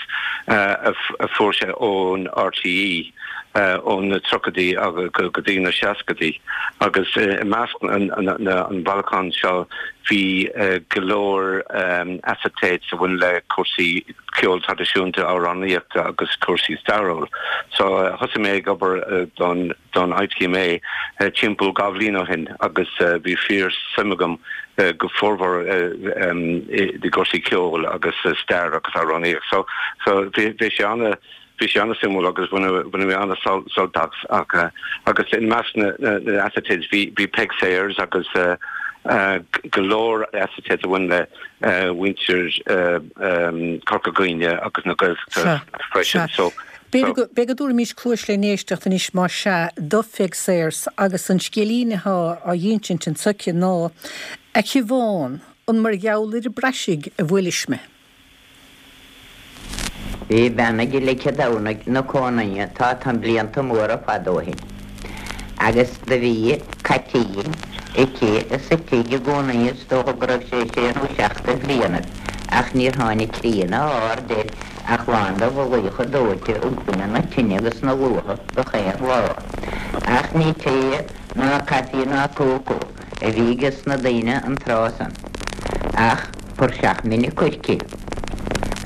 a fuair sé ón RTÉ ó na tríochaidí go dtí na seascaidí agus i measc an bhailiúcháin seo bhí go leor acetates a bhain le cúrsaí ceol traidisiúnta, amhránaíochta agus cúrsaí stairiúil. So thosaigh mé ag obair don don ITMA timpeall 2 bhliain ó shin agus bhí fíor suim agam go formhór i gcúrsaí ceoil agus stair agus amhránaíocht. So so bhí bhí sé ana bhí sé ana suimiúil agus bhain bhain mé ana sult as ach agus i measc na na acetates bhí bhí Peig Sayers agus go leor acetates a bhain le mhuintir Chorca Dhuibhne agus na Gaeltachta freisin. So. B'fhéidir go, b'fhéidir go dtabharfaimis cluais le n-éisteacht anois más ea do Pheig Sayers agus an scéilín athá á dh'insint anso aici ná, A Shiobhán. An mar gheall ar an bpraisigh a bhuailis mé. Bhí bean ag Leice Domhnaigh 'na cómhnaidhe tá tá blianta móra fada ó shin agus do bhí caitín aici sa tigh i gcómhnaidhe is dócha go raibh sé sé nó seacht de bhlianaibh ach níor tháinig croí ná árd air ach lán de mhullaíocha dóite i gcoinne na tine agus na luatha gach aon lá. Ach ní tae ná caife ná cócó a bhí ages na daoine an tráth san ach puirseach mine coirce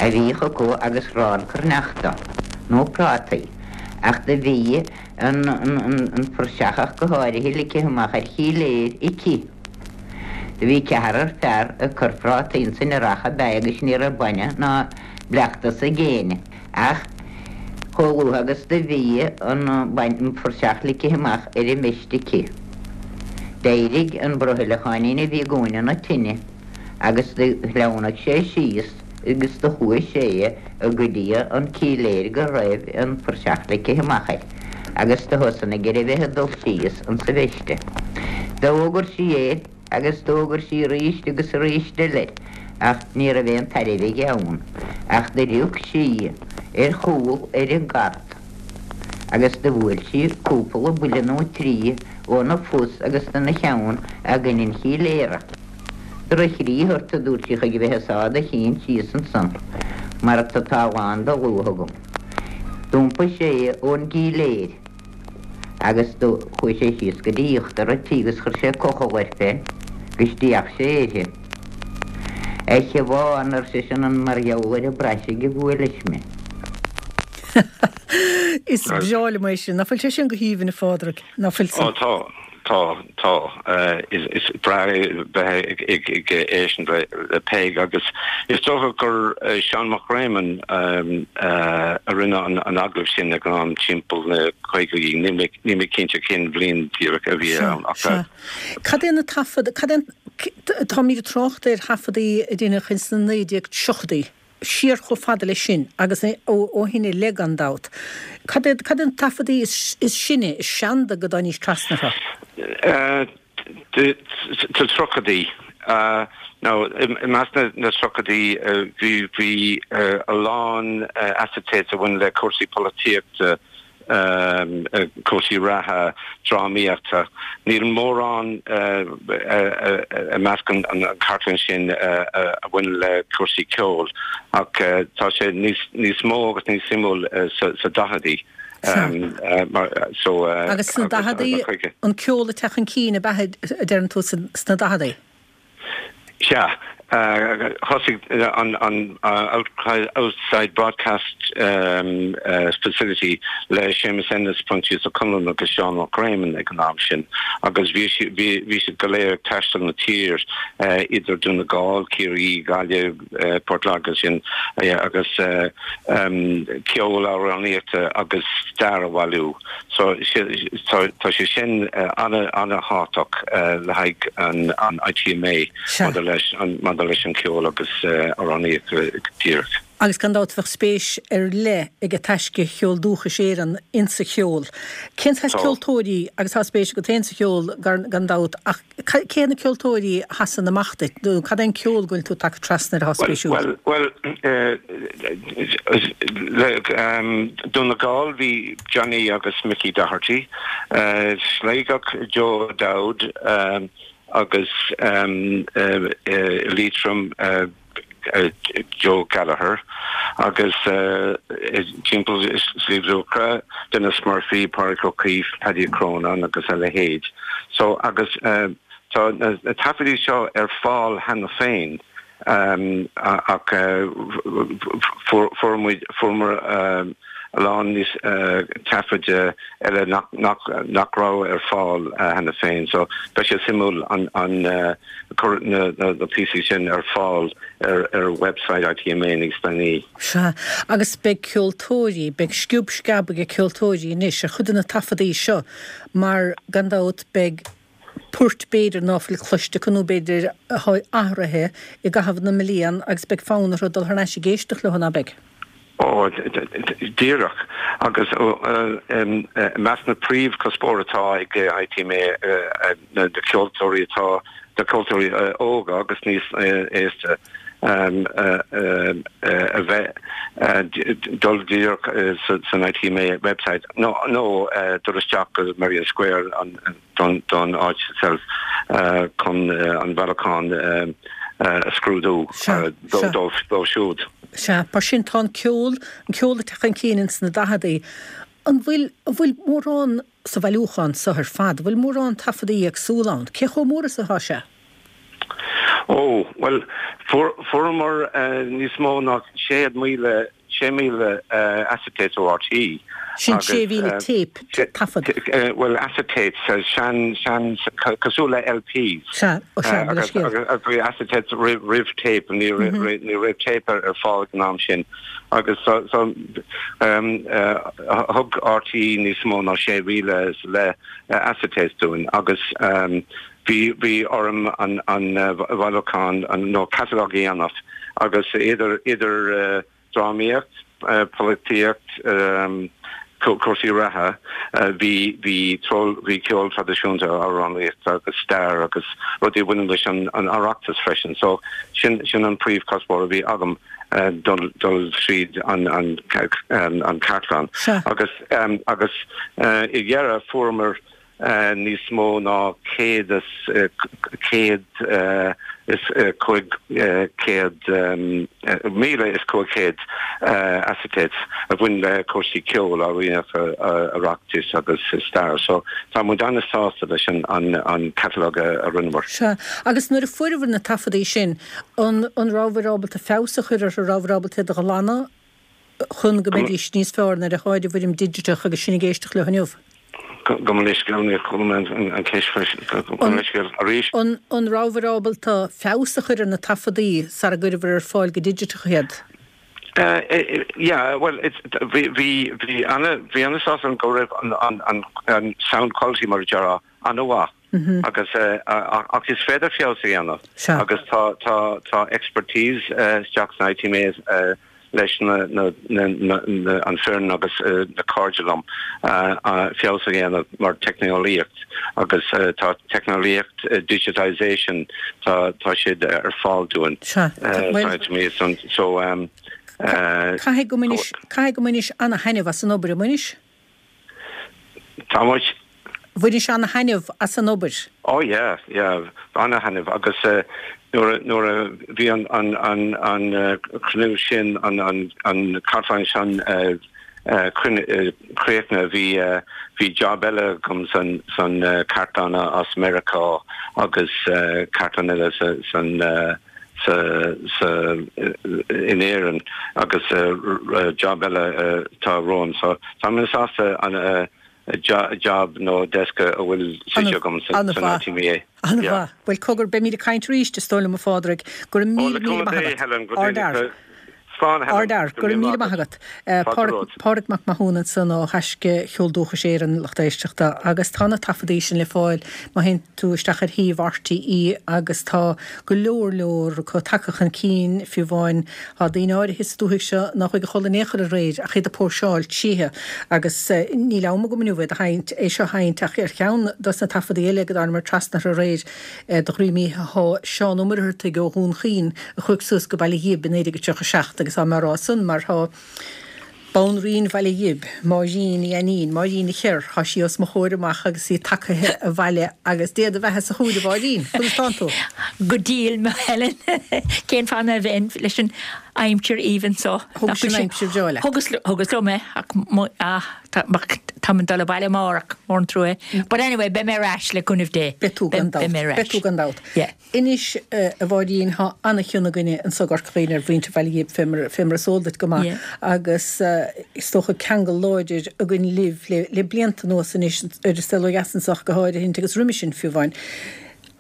a bhíodh acu agus arán cruithneachta nó prátaí ach do bhí an an phuirseach ach go háirithe ligthe amach ar chíléir aici. Do bhí ceathrar fear ag cur prátaí insan earrach ab ea agus ní raibh bainne ná bleachtas ag éinne. Ach chomh luath agus do bhí an phuirseach ligthe amach ar an mbeist aici, d'éirigh an brothaileacháinín a bhí i gcúinne na tine agus do shleamhnaigh sé síos agus do chuaigh sé go dtí an cíléir go raibh an phuirseach ligthe amach air agus do thosnaigh ar a bheith ag dul síos insa bheiste. D'fhógair sí air. Agus d'fhógair sí arís agus arís eile air, ach ní raibh aon tairbhe aige ann, ach do rioc sí ar chúl ar an gcart agus do bhuail sí cúpla buille nó trí óna phus agus dona cheann i gcoinne an chíléara. Droch-chriathar ort, a dúirt sí, chuig a bheith ag sá do chinn síos ansan mar atá lán de luaith agam. D'iompaigh sé ón gcíléir. Agus do chuaidh sé síos go dtí íochtar a' tí agus chuir sé cochall air féin agus d'fhéach sé uirthi. A Shiobhán, ar seisean, an mar gheall ar an bpraisigh a bhuailis mé? Is breá liom é sin. Ná fuil sé sin go haoibhinn, a Phádraig? Ná fuil san? Ó tá. Tá, tá. Is breá bheith ag éisteacht le Peig agus is dócha gur Seán Mac Réamoinn a rinne an agallamh sin ag an am timpeall na caogaidí, níl mé cinnte cén bhliain díreach a bhí ann ach. Sea. Cad é na taifead, cad é, táimid ag trácht ar thaifeadaí a deineadh ins na 1930idí. siar chomh fada leis sin, agus ó shin i leith gan dabht. Cad iad na taifeadaí is sine, is seanda go dtáinís trasna orthu? Sna tríochaidí. Now, i measc na dtríochaidí bhí a lán acetates a bhain le cúrsaí polaitíochta, cúrsaí reatha, drámaíochta. Níl mórán i measc an chartlann sin a bhaineann le cúrsaí ceoil ach tá sé níos mó agus níos suimiúil sa daicheadaí. Agus sna daicheadaí, an ceol ag teacht chun cinn ab ea a deireann tú sna daicheadaí? Sea. Thosaigh an Outside Broadcast Facility le Séamus Ennis, Proinsias Ó Conluain agus Seán Mac Réamoinn ag an am sin agus bhí siad go léir ag taisteal na tír idir Dún na Gall, Ciarraí, Gaillimh, Port Láirge sin agus ceol, amhránaíochta agus stair a bhailiú. So tá sé sin an-an-thábhachtach le haghaidh an ITMA maidir leis maidir leis an cheol agus amhránaíocht go díreach. Agus gan dabht bheadh spéis ar leith ag Taisce Cheol Dúchais Éireann insa cheol. Cén saghas ceoltóirí, agus tá spéis agat féin sa cheol gan dabht, ach Cé na ceoltóirí a sheasann amach duit nó cad é an ceol go bhfuil tú tagtha trasna air atá spéisiúil? Bhuel, le Dún na Gall bhí Johnny agus Mickey Doherty, Sligeach Joe O'Dowd agus Liatroim Joe Gallagher agus timpeall Sliabh Luachra, Denis Murphy, Pádraig Ó Caoimh, Paddy Ó Crónáin agus a leithéid. So agus tá na taifeadaí seo ar fáil cheana féin ach fuair muid, fuaireamar a lán níos taifid eile nach raibh ar fáil cheana féin. So beidh sé suimiúil an cur na píosaí sin ar fáil ar website ITMA níos déanaí. Sea, agus beidh ceoltóirí, beidh sciob sceab ag ceoltóirí anois ar chuid de na taifeadaí seo mar, gan dabht, beidh poirt b'fhéidir ná fuil cloiste acu nó b'fhéidir atá athraithe i gcaitheamh na mblian agus beidh fonn orthu dul thar n-ais ag éisteacht leo, ná beidh? Ó, díreach. Agus i measc na príomhchuspóir atá ag ITMA na ceoltóirí atá. do cheoltóirí óga agus níos aosta a bheith dul díreach san ITMA website nó dul isteach go Merrion Square don áit itself chun an bailiúchán a scrúdú dóibh siúd. Sea, mar sin tá an ceol, an ceol ag teacht chun cinn ins na daicheadaí. An bhfuil, an bhfuil mórán sa bhailiúchán so ar fad, an bhfuil mórán taifeadaí éagsúla ann? Cé chomh mór is atá sé? Ó, bhuel, fuaireamar níos mó ná 6,000, 6,000 acetates ó RTÉ. Sin 6,000 téip, taifead. Bhuel, acetates, sean, sean, cosúil le LPs. Sea, ó sea, mo leithscéal. Agus bhí acetates roimh téip, ní raibh téip ar fáil ag an am sin. Agus so, so, thug RTÉ níos mó ná 6,000 is leith acetates dúinn agus bhí, bhí orm an, an bhailiúchán, nó catalog a dhéanamh agus idir, idir drámaíocht, polaitíocht, cúrsaí reatha, bhí, bhí, bhí ceol traidisiúnta, amhránaíocht agus stair agus rudaí a bhaineann leis an Oireachtas freisin. So sin, sin an príomhchuspóir a bhí agam, dul, dul tríd an, an, an cartlann. Agus, agus i dheireadh fuaireamar níos mó ná 100 is 500, 1,500 acetates a bhain le cúrsaí ceoil, amhránaíocht, Oireachtais agus stair. So tá muid an-sásta leis an catalog a rinneamar. Sea. Agus nuair a fuaireabhair na taifeadaí sin, an rabhabhair ábalta feabhas a chur orthu, an rabhabhair ábalta iad a ghlanadh? chun go mbeidís níos fearr nuair atháid i bhfoirm digiteach agus sinn ag éisteacht leo inniu. Gabh mo leithscéal, níor chuala mé an cheist freisin. Gabh mo leithscéal arís. An rabhabhair ábalta feabhas a chur ar na taifeadaí sara gcuireabhair ar fáil go digiteach iad? Yeah, bhuel, bhí, bhí, bhí ana, bhí ana-sásta go raibh an, an, an sound quality mar a déarfá ana-mhaith. Agus, ach is féidir feabhas a dhéanamh agus tá, tá, tá expertise isteach san ITMA leis na, na, na, na, an foireann agus na cairde liom feabhas a dhéanamh mar teicneolaíocht agus tá teicneolaíocht digitisation tá, tá siad ar fáil dúinn san ITMA so. Caithfidh go mbainis, caithfidh go mbainis ana-thaitneamh as an obair, an mbainis? Tá muid. Bhainis ana-thaitneamh as an obair. Oh yeah, yeah, ana-thaitneamh agus nuair a, nuair a bhí an, an, an, an cruinniú sin, an, an, an cartlann sin críochnaithe, bhí, bhí job eile agam san, san cartlann as Meiriceá agus cartlann eile sa, san, sa, sa, in Éirinn agus job eile atá romham. So tá mé sásta an job nó desk a bhfuil suite agam san ITMA. An-mhaith. Bhuel cogar, beimid ag caint arís, is dóigh liom, a Phádraig. Go raibh míle, míle maith agat. Ardfhear. Slán, Helen. Ardfhear. Go raibh míle maith agat. Pádraig Mac Mathúna ansan ó Thaisce Cheol Dúchais Éireann, lucht éisteachta, agus tá na taifeadaí sin le fáil má théann tú isteach ar shuíomh RTÉ agus tá go leor leor acu tagtha chun cinn, fiú amháin tá daoine áirithe sa dúthaigh seo nár chuaigh a chodladh in aon chor aréir ach iad ag póirseáil tríothu agus níl am agam inniu iad a sheinnt, é seo a sheinnt ach ar cheann dos na taifeadaí eile go dtánamar trasna orthu aréir do dhroim oíche thá Seán Ó Muircheartaigh ó Dhún Chaoin a chuaigh suas go Baile Ghib i 1937 agus tá mé á rá san mar thá Banríon Bhaile Ghib, Máirín Ní Ainnín, Máirín an Chorr, thá sí os mo chomhair amach agus í tagaithe abhaile agus Dé do bheatha sa chúil a Mháirín, conas tánn tú? Go diail, a Helen. Cén fáth ná bheinn leis an aimsir aoibhinn so? Thugais an aimsir bhreá leat. Thugas, thugas liom é ach mo, ah, tá, táim ag dul abhaile amárach, mór an trua. But anyway, beidh mé ar ais le cúnamh Dé. Beidh tú gan dabht. Beidh mé ar ais. Beidh tú gan dabht. Yeah. Anois, a Mháirín, thá ana-chion againne anso i gCorca Dhuibhne ar mhuintir Bhaile Ghib, fé mar, fé mar is eol duit go maith, agus is dócha ceangal láidir againn libh le, le blianta anuas anois, ar an saol ó dheas anso ach go háirithint, agus roimis sin fiú amháin.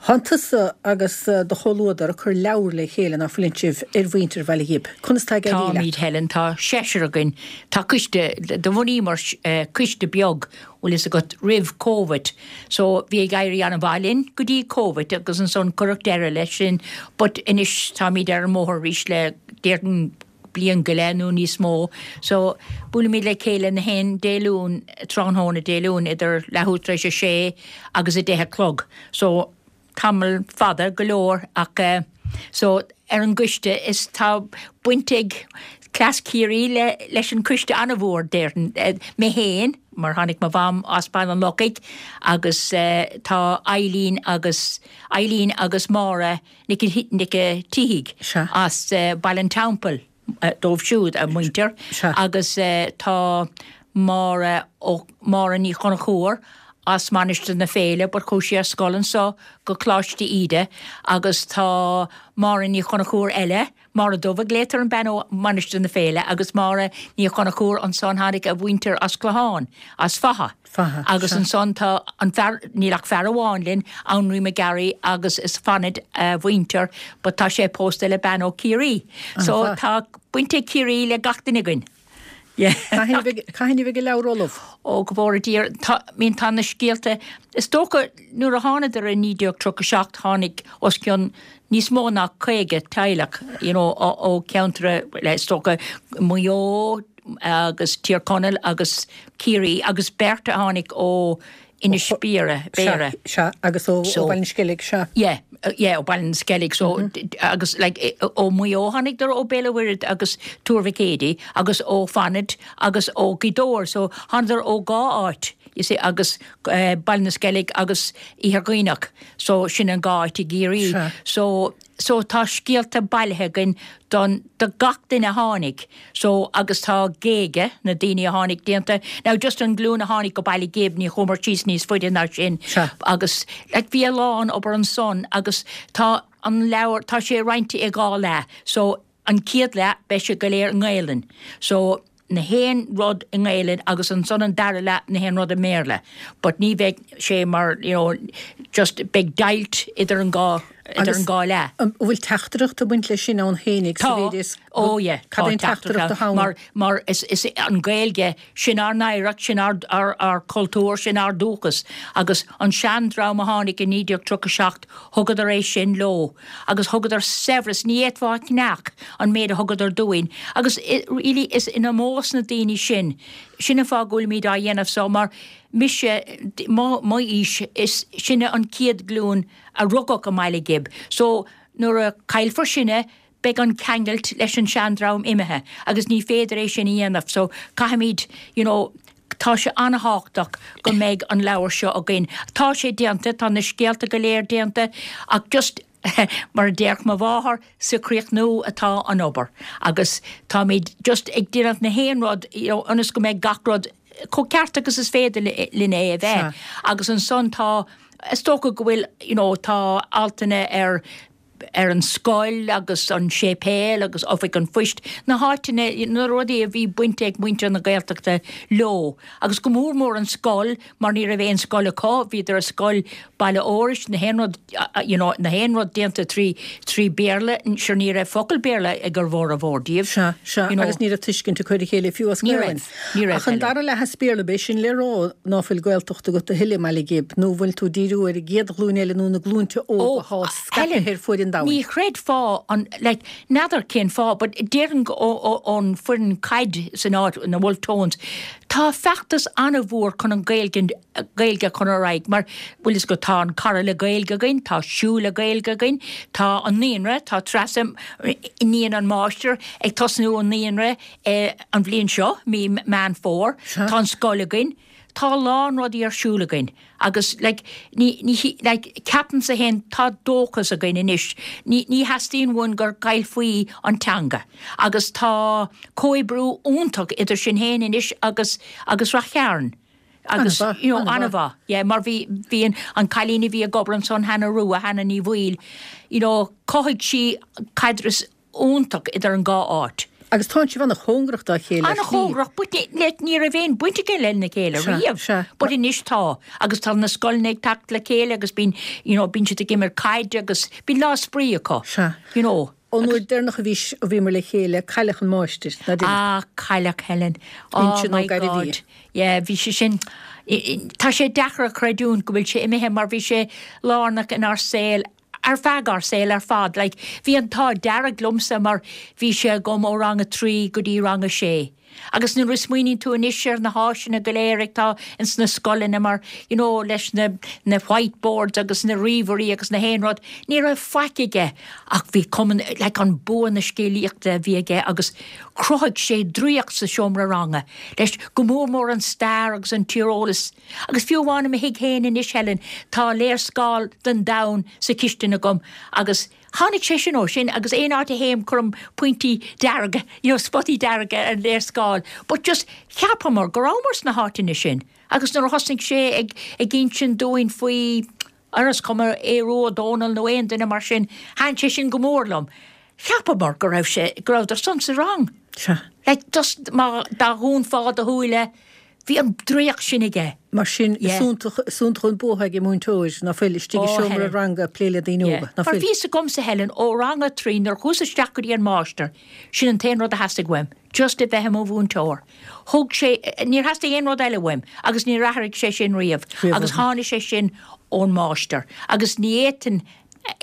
Thánn tusa agus do chomhluadar ag cur leabhar le chéile, ná fuileann sibh, ar mhuintir Bhaile Ghib. Conas tá ag éirí leat? Táimid, Helen, tá seisear againn. Tá coiste, do bhunaíomar coiste beag bhfuil fhios agat, roimh Covid. So bhí ag éirí an-mhaith linn go dtí Covid agus ansan cuireadh deireadh leis sin but anois táimid ar an mbóthar arís le déarfainn bliain go leith nó níos mó. So buailimid le chéile na haon Dé Luain, tráthnóna Dé Luain idir leathuair tar éis a sé agus a deich a chlog. So. tamall fada go leor ach eh so ar an gcoiste is tá baint ag cleas Ciarraí le leis an coiste an-mhór déarfainn mé féin mar tháinig mo mham as Baile an Lochaigh agus eh tá Eileen agus Eileen agus Máire Nic Nic a' tSíthigh as eh Baile an Teampaill. dóibh siúd, a muintir, agus tá Máire Ó, Máire Ní Chonchúir as Mainistir na Féile but chuaigh sí ar scoil anso go Coláiste Íde agus tá Máire Ní Chonchúir eile, Máire Dubh a glaotar an bean ó Mainistir na Féile agus Máire Ní Chonchúir ansan tháinig a mhuintir as Clochán, as Fatha. Fatha, Agus ansan tá an fear, níl ach fear amháin linn, Anraí McGarry agus is Fanad a mhuintir but tá sé pósta le bean ó Ciarraí. So tá baint ag Ciarraí le gach duine againn. Yeah. Cathain a bheidh, cathain a bheidh an leabhar ullamh? Ó go bhfóire Dia, tá, I mean tá na scéalta, is dócha nuair a thánadar i 1937 tháinig os cionn níos mó ná 50 teaghlach, you know, ó, ó ceantar, is dócha Maigh Eo, agus Tír Chonaill agus Ciarraí agus beirt a tháinig ó Inis Biara, Béara. Sea, agus ó Bhaile na Sceilg, sea. Yeah, yeah, ó Baile na Sceilg, so, agus like, ó Mhaigh Eo tháinigdar ó Béal an Mhuirthead agus Tuar Mhic Éadaigh agus ó Fanaid agus ó Ghaoth Dobhair, so thánadar ó dhá áit, you see, agus Baile na Sceilg agus Iarthar Dhuibhneach, so sin an dhá áit i gCiarraí. So, So tá scéalta bailithe againn don, do gach duine a tháinig. So agus tá géaga na daoine a tháinig déanta. Now just an glúin a tháinig go Baile Ghib, ní chuamar síos níos faide ná sin. Sea. Agus like bhí a lán obair ansan agus tá an leabhar, tá sé roinnte i dhá leath. So an chéad leath beidh sé go léir i nGaelainn. So na haon rud i nGaelainn agus ansan an dara leath na haon rud i mBéarla but ní bheidh sé mar you know just beidh deighilt idir an dhá idir an dhá leath. An bhfuil teachtaireacht ag baint leis sin ann fhéinig sa mhéid is Tá, oh yeah, tá Cad é an teachtaireacht atá ann? Mar mar is is an Ghaeilge sin ár n-oidhreacht, sin ár ár ár cultúr, sin ár dúchas agus an seandream a tháinig i 1937 thugadar é sin leo. agus thugadar saibhreas, ní fhéadfá a cheannach an méid a thugadar dúinn, agus really is in ómós na daoine sin, sin an fáth go bhfuilimid á dhéanamh so, mar mise, mo m'aois, is sinne an chéad ghlúin a rugadh i mBaile Ghib, so nuair a caillfear sinne, beidh an ceangailt leis an seandream imithe agus ní féidir é sin a dhéanamh, so caithfimid, you know, Tá sé an-thábhachtach go mbeidh an leabhar seo againn. Tá sé déanta, tá na scéalta go léir déanta ach just mar a déarfadh mo mháthair, sa chríochnú atá an obair agus táimid just ag déanamh na haon rud you know ionas go mbeidh gach rud chomh ceart agus is féidir linn é a bheith. Agus ansan tá, is dócha go bhfuil you know tá altanna ar ar an scoil agus an séipéal agus oifig an phoist, na háiteanna, na rudaí a bhí baint ag muintir na Gaeltachta leo. Agus go mór mór an scoil mar ní raibh aon scoil acu, bhíodar ar scoil Baile Iorrais, na haon rud, you know, na haon rud déanta trí, trí Bhéarla, sure ní raibh focal Béarla ag a bhformhór díobh. Sea, sea, you know. Agus ní raibh tuiscint acu ar a chéile fiú as Ní Gaelainn. raibh, ní raibh, Ach an Helen. dara leath as Béarla, b'é sin le rá ná fuil Gaeltacht agat a thuilleadh i mBaile Ghib, nó bhfuil tú ag díriú ar an gcéad ghlúin eile nó na glúinte óga Ó, atá Helen, scaipthe ar fuaid an domhain? ní chreidfeá an, like, n'fheadar cén fáth, but déarfainn go, ó, ó, ón foireann caid san áit, na Wolfe Tones, tá feachtas an-mhór chun an Ghaeilge, Gaeilge a chur ar aghaidh mar, bhfuil fhios agat, tá an Cara le Gaeilge againn, tá Siúl le Gaeilge againn, tá an naíonra, tá Treasa, iníon an máistir, ag tosnú an naíonra an bhliain seo, mí Meán Fómhair, tá an scoil againn, tá a lán rudaí ar siúl againn agus like ní, ní, like ceapaimse féin tá dóchas againn anois, ní, ní theastaíonn uainn gur caillfí an teanga agus tá comhoibriú iontach idir sinn féin anois agus, agus Rath Chairn. Agus, An-mhaith, you know, an-mhaith. an-mhaith, yeah, mar bhí, bhí an, an cailín a bhí ag obair ansan, Hannah Rua, Hannah Ní Bhaoill, you know, chothaigh sí caidreamh iontach idir an dhá áit. Agus tánn sibh an-chóngarach dá chéile ar shlí. An-chóngarach, but ní, like, ní raibh aon baint againn lena chéile Sea, riamh. sea. But anois tá, agus tá na scoileanna ag teacht le chéile agus bíonn, you know, bíonn siad ag imirt caide agus bíonn lá spraoi acu, Sea. you know. Ón uair deireanach a bhí, a bhíomar le chéile, cailleadh an máistir, ná deimhin. Ah, cailleadh Helen. Oh Uinseann Ó my Gairbhí. God. Yeah, bhí sé sin, tá sé deacair a chreidiúint go bhfuil sé imithe mar bhí sé lárnach inár saol, ar feadh ár saol ar fad. Like, bhí an t-ádh dearg liomsa mar bhí sé agam ó rang a trí go dtí rang a sé. Agus nuair a smaoiníonn tú anois ar na háiseanna go léir atá ins na scoileanna mar, you know, leis na, na white boards agus na ríomhairí agus na haon rud, ní raibh faic aige ach bhí cuma, like an bua na scéalaíochta a bhí aige agus chruthaigh sé draíocht sa seomra ranga leis, go mór mór an stair agus an tíreolas. Agus fiú amháin i mo thigh féin anois, Helen, tá léarscáil den domhan sa chistin agam agus, Tháinig sé sin ó sin agus aon áit a théim cuirim pointí dearga, you know, spotaí dearga ar an léarscáil. But just cheapamar go rabhamar sna háiteanna sin agus nuair a thosnaigh sé ag ag insint dúinn faoi, ar is cuma Aodh Rua Ó Dónaill nó aon duine mar sin, thaitin sé sin go mór liom. Cheapamar go raibh sé, go rabhadar san sa rang. Sea. Like just má dá dhúnfá do shúile, Bhí an draíocht sin aige. Mar sin, is iontach, is iontach an bua ag an múinteoir, ná fuil, istigh i seomra ranga ag plé le daoine óga, ná fuil? Mar bhí fhios agamsa, Helen, ó rang a 3, nuair a chuas isteach go dtí an máistir, sin an t-aon rud a theastaigh uaim, just a bheith i mo mhúinteoir. Thug sé, níor theastaigh aon rud eile uaim agus níor athraigh sé sin riamh agus tháinig sé sin ón máistir agus ní fhéadfainn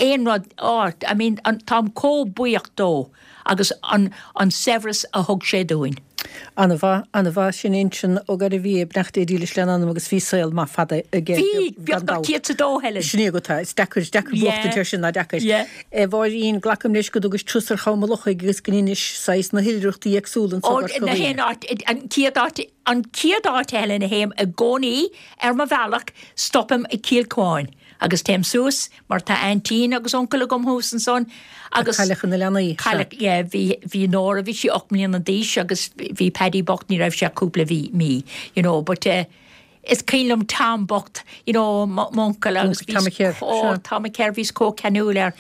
aon rud, oh, I mean, táim chomh buíoch dó agus an, an saibhreas a thug sé dúinn. Ana-mhaith, ana-mhaith, sin Uinseann Ó Gairbhia, beannacht Dé dílis lena anam agus bhí saol maith fada aige, Bhí, gan beagnach dabht. 102, Helen. Sin é agat é, is deacair, is deacair buachtaint air sin, ná deacair. Yeah. A Mháirín, glacaim leis go dtugais turas ar Cham an Lochaigh agus go ndeinis saghas na hoilithreachtaí éagsúla anso Ó, i gCorca na Dhuibhne. haon áit, an chéad áit, an chéad áit, Helen, a théim i gcónaí ar mo bhealach, stopaim i Cill Cuáin. Agus téim suas, mar tá aintín agus uncail agam thuas ansan, agus. Cailleadh na leanaí, sea. Cailleadh, yeah, bhí, bhí Nóra, bhí sí 8 mbliana d'aois agus bhí Paddy bocht, ní raibh sé ach cúpla mhí, mí, you know, but eh, is cuimhin liom Tom bocht, you know, m'uncail agus Uncail Tom bhíos Kerr, chomh, sea. Tom Kerr, bhíos chomh ceanúil air.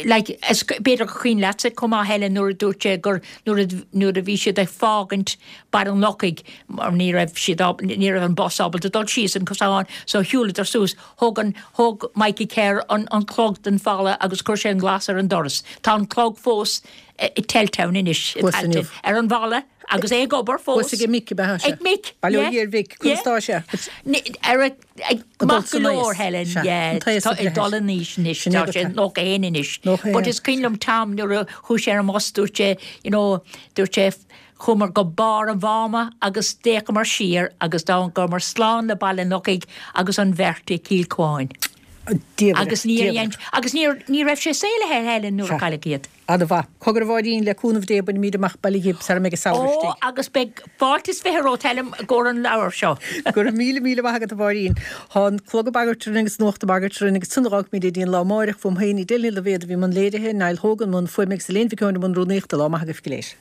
Like, is, b'fhéidir gur cuimhin leatsa chomh maith, Helen, nuair a dúirt sé gur, nuair a, nuair a bhí siad ag fágaint Baile an Lochaigh, mar ní raibh siad áb, ní raibh an bus ábalta dul síos an cosán so shiúladar suas, thóg an, thóg Mikey Kerr an, an clog den falla agus chuir sé an glas ar an doras. Tá an clog fós i Teltown anois, i Thuas Tailteann, inniu. ar an bhfalla agus é ag obair fós. Thuas ag Mick ab ea sé? Ag Mick, Bail ó yeah, Dhia ar Mhick, conas yeah. tá sé? Ní, ar a, ag, Ag dul maith go san leor, aois. Helen, Sea, yeah, an t-aos tá ag ag breith dul air. in aois anois, Sin é tá go sé tá. 91 anois. 91. But is cuimhin liom Tom nuair a chuaigh sé ar an mbus, dúirt sé, you know, dúirt sé, Chuamar go barr an mháma agus d'fhéachamar siar agus d'fhágamar slán le Baile an Lochaigh agus an bheirt i gCill Cuáin. Agus níor dhein, agus níor, ní raibh sé saolaithe Helen nuair a cailleadh iad. Ana-mhaith. Cogar a Mháirín, le cúnamh Dé bainfimid amach Baile Ghib sara mbeidh an samhradh Ó, istigh. agus beidh fáilte is 20 romhat Helen i gcomhair an leabhair seo. Go raibh míle míle maith agat a Mháirín. Tá an clog ag bagairt orainn agus nuacht ag bagairt orainn agus ansan a dh'fhágfaimid é dtí an lá amáireach. Fúm féin, Edel Ní Loibhéad a bhí i mbun léirithe, Niall Hogan i mbun fuaime agus Elaine Mhic Eoin i mbun rúnaíochta. Lá maith agaibh go léir.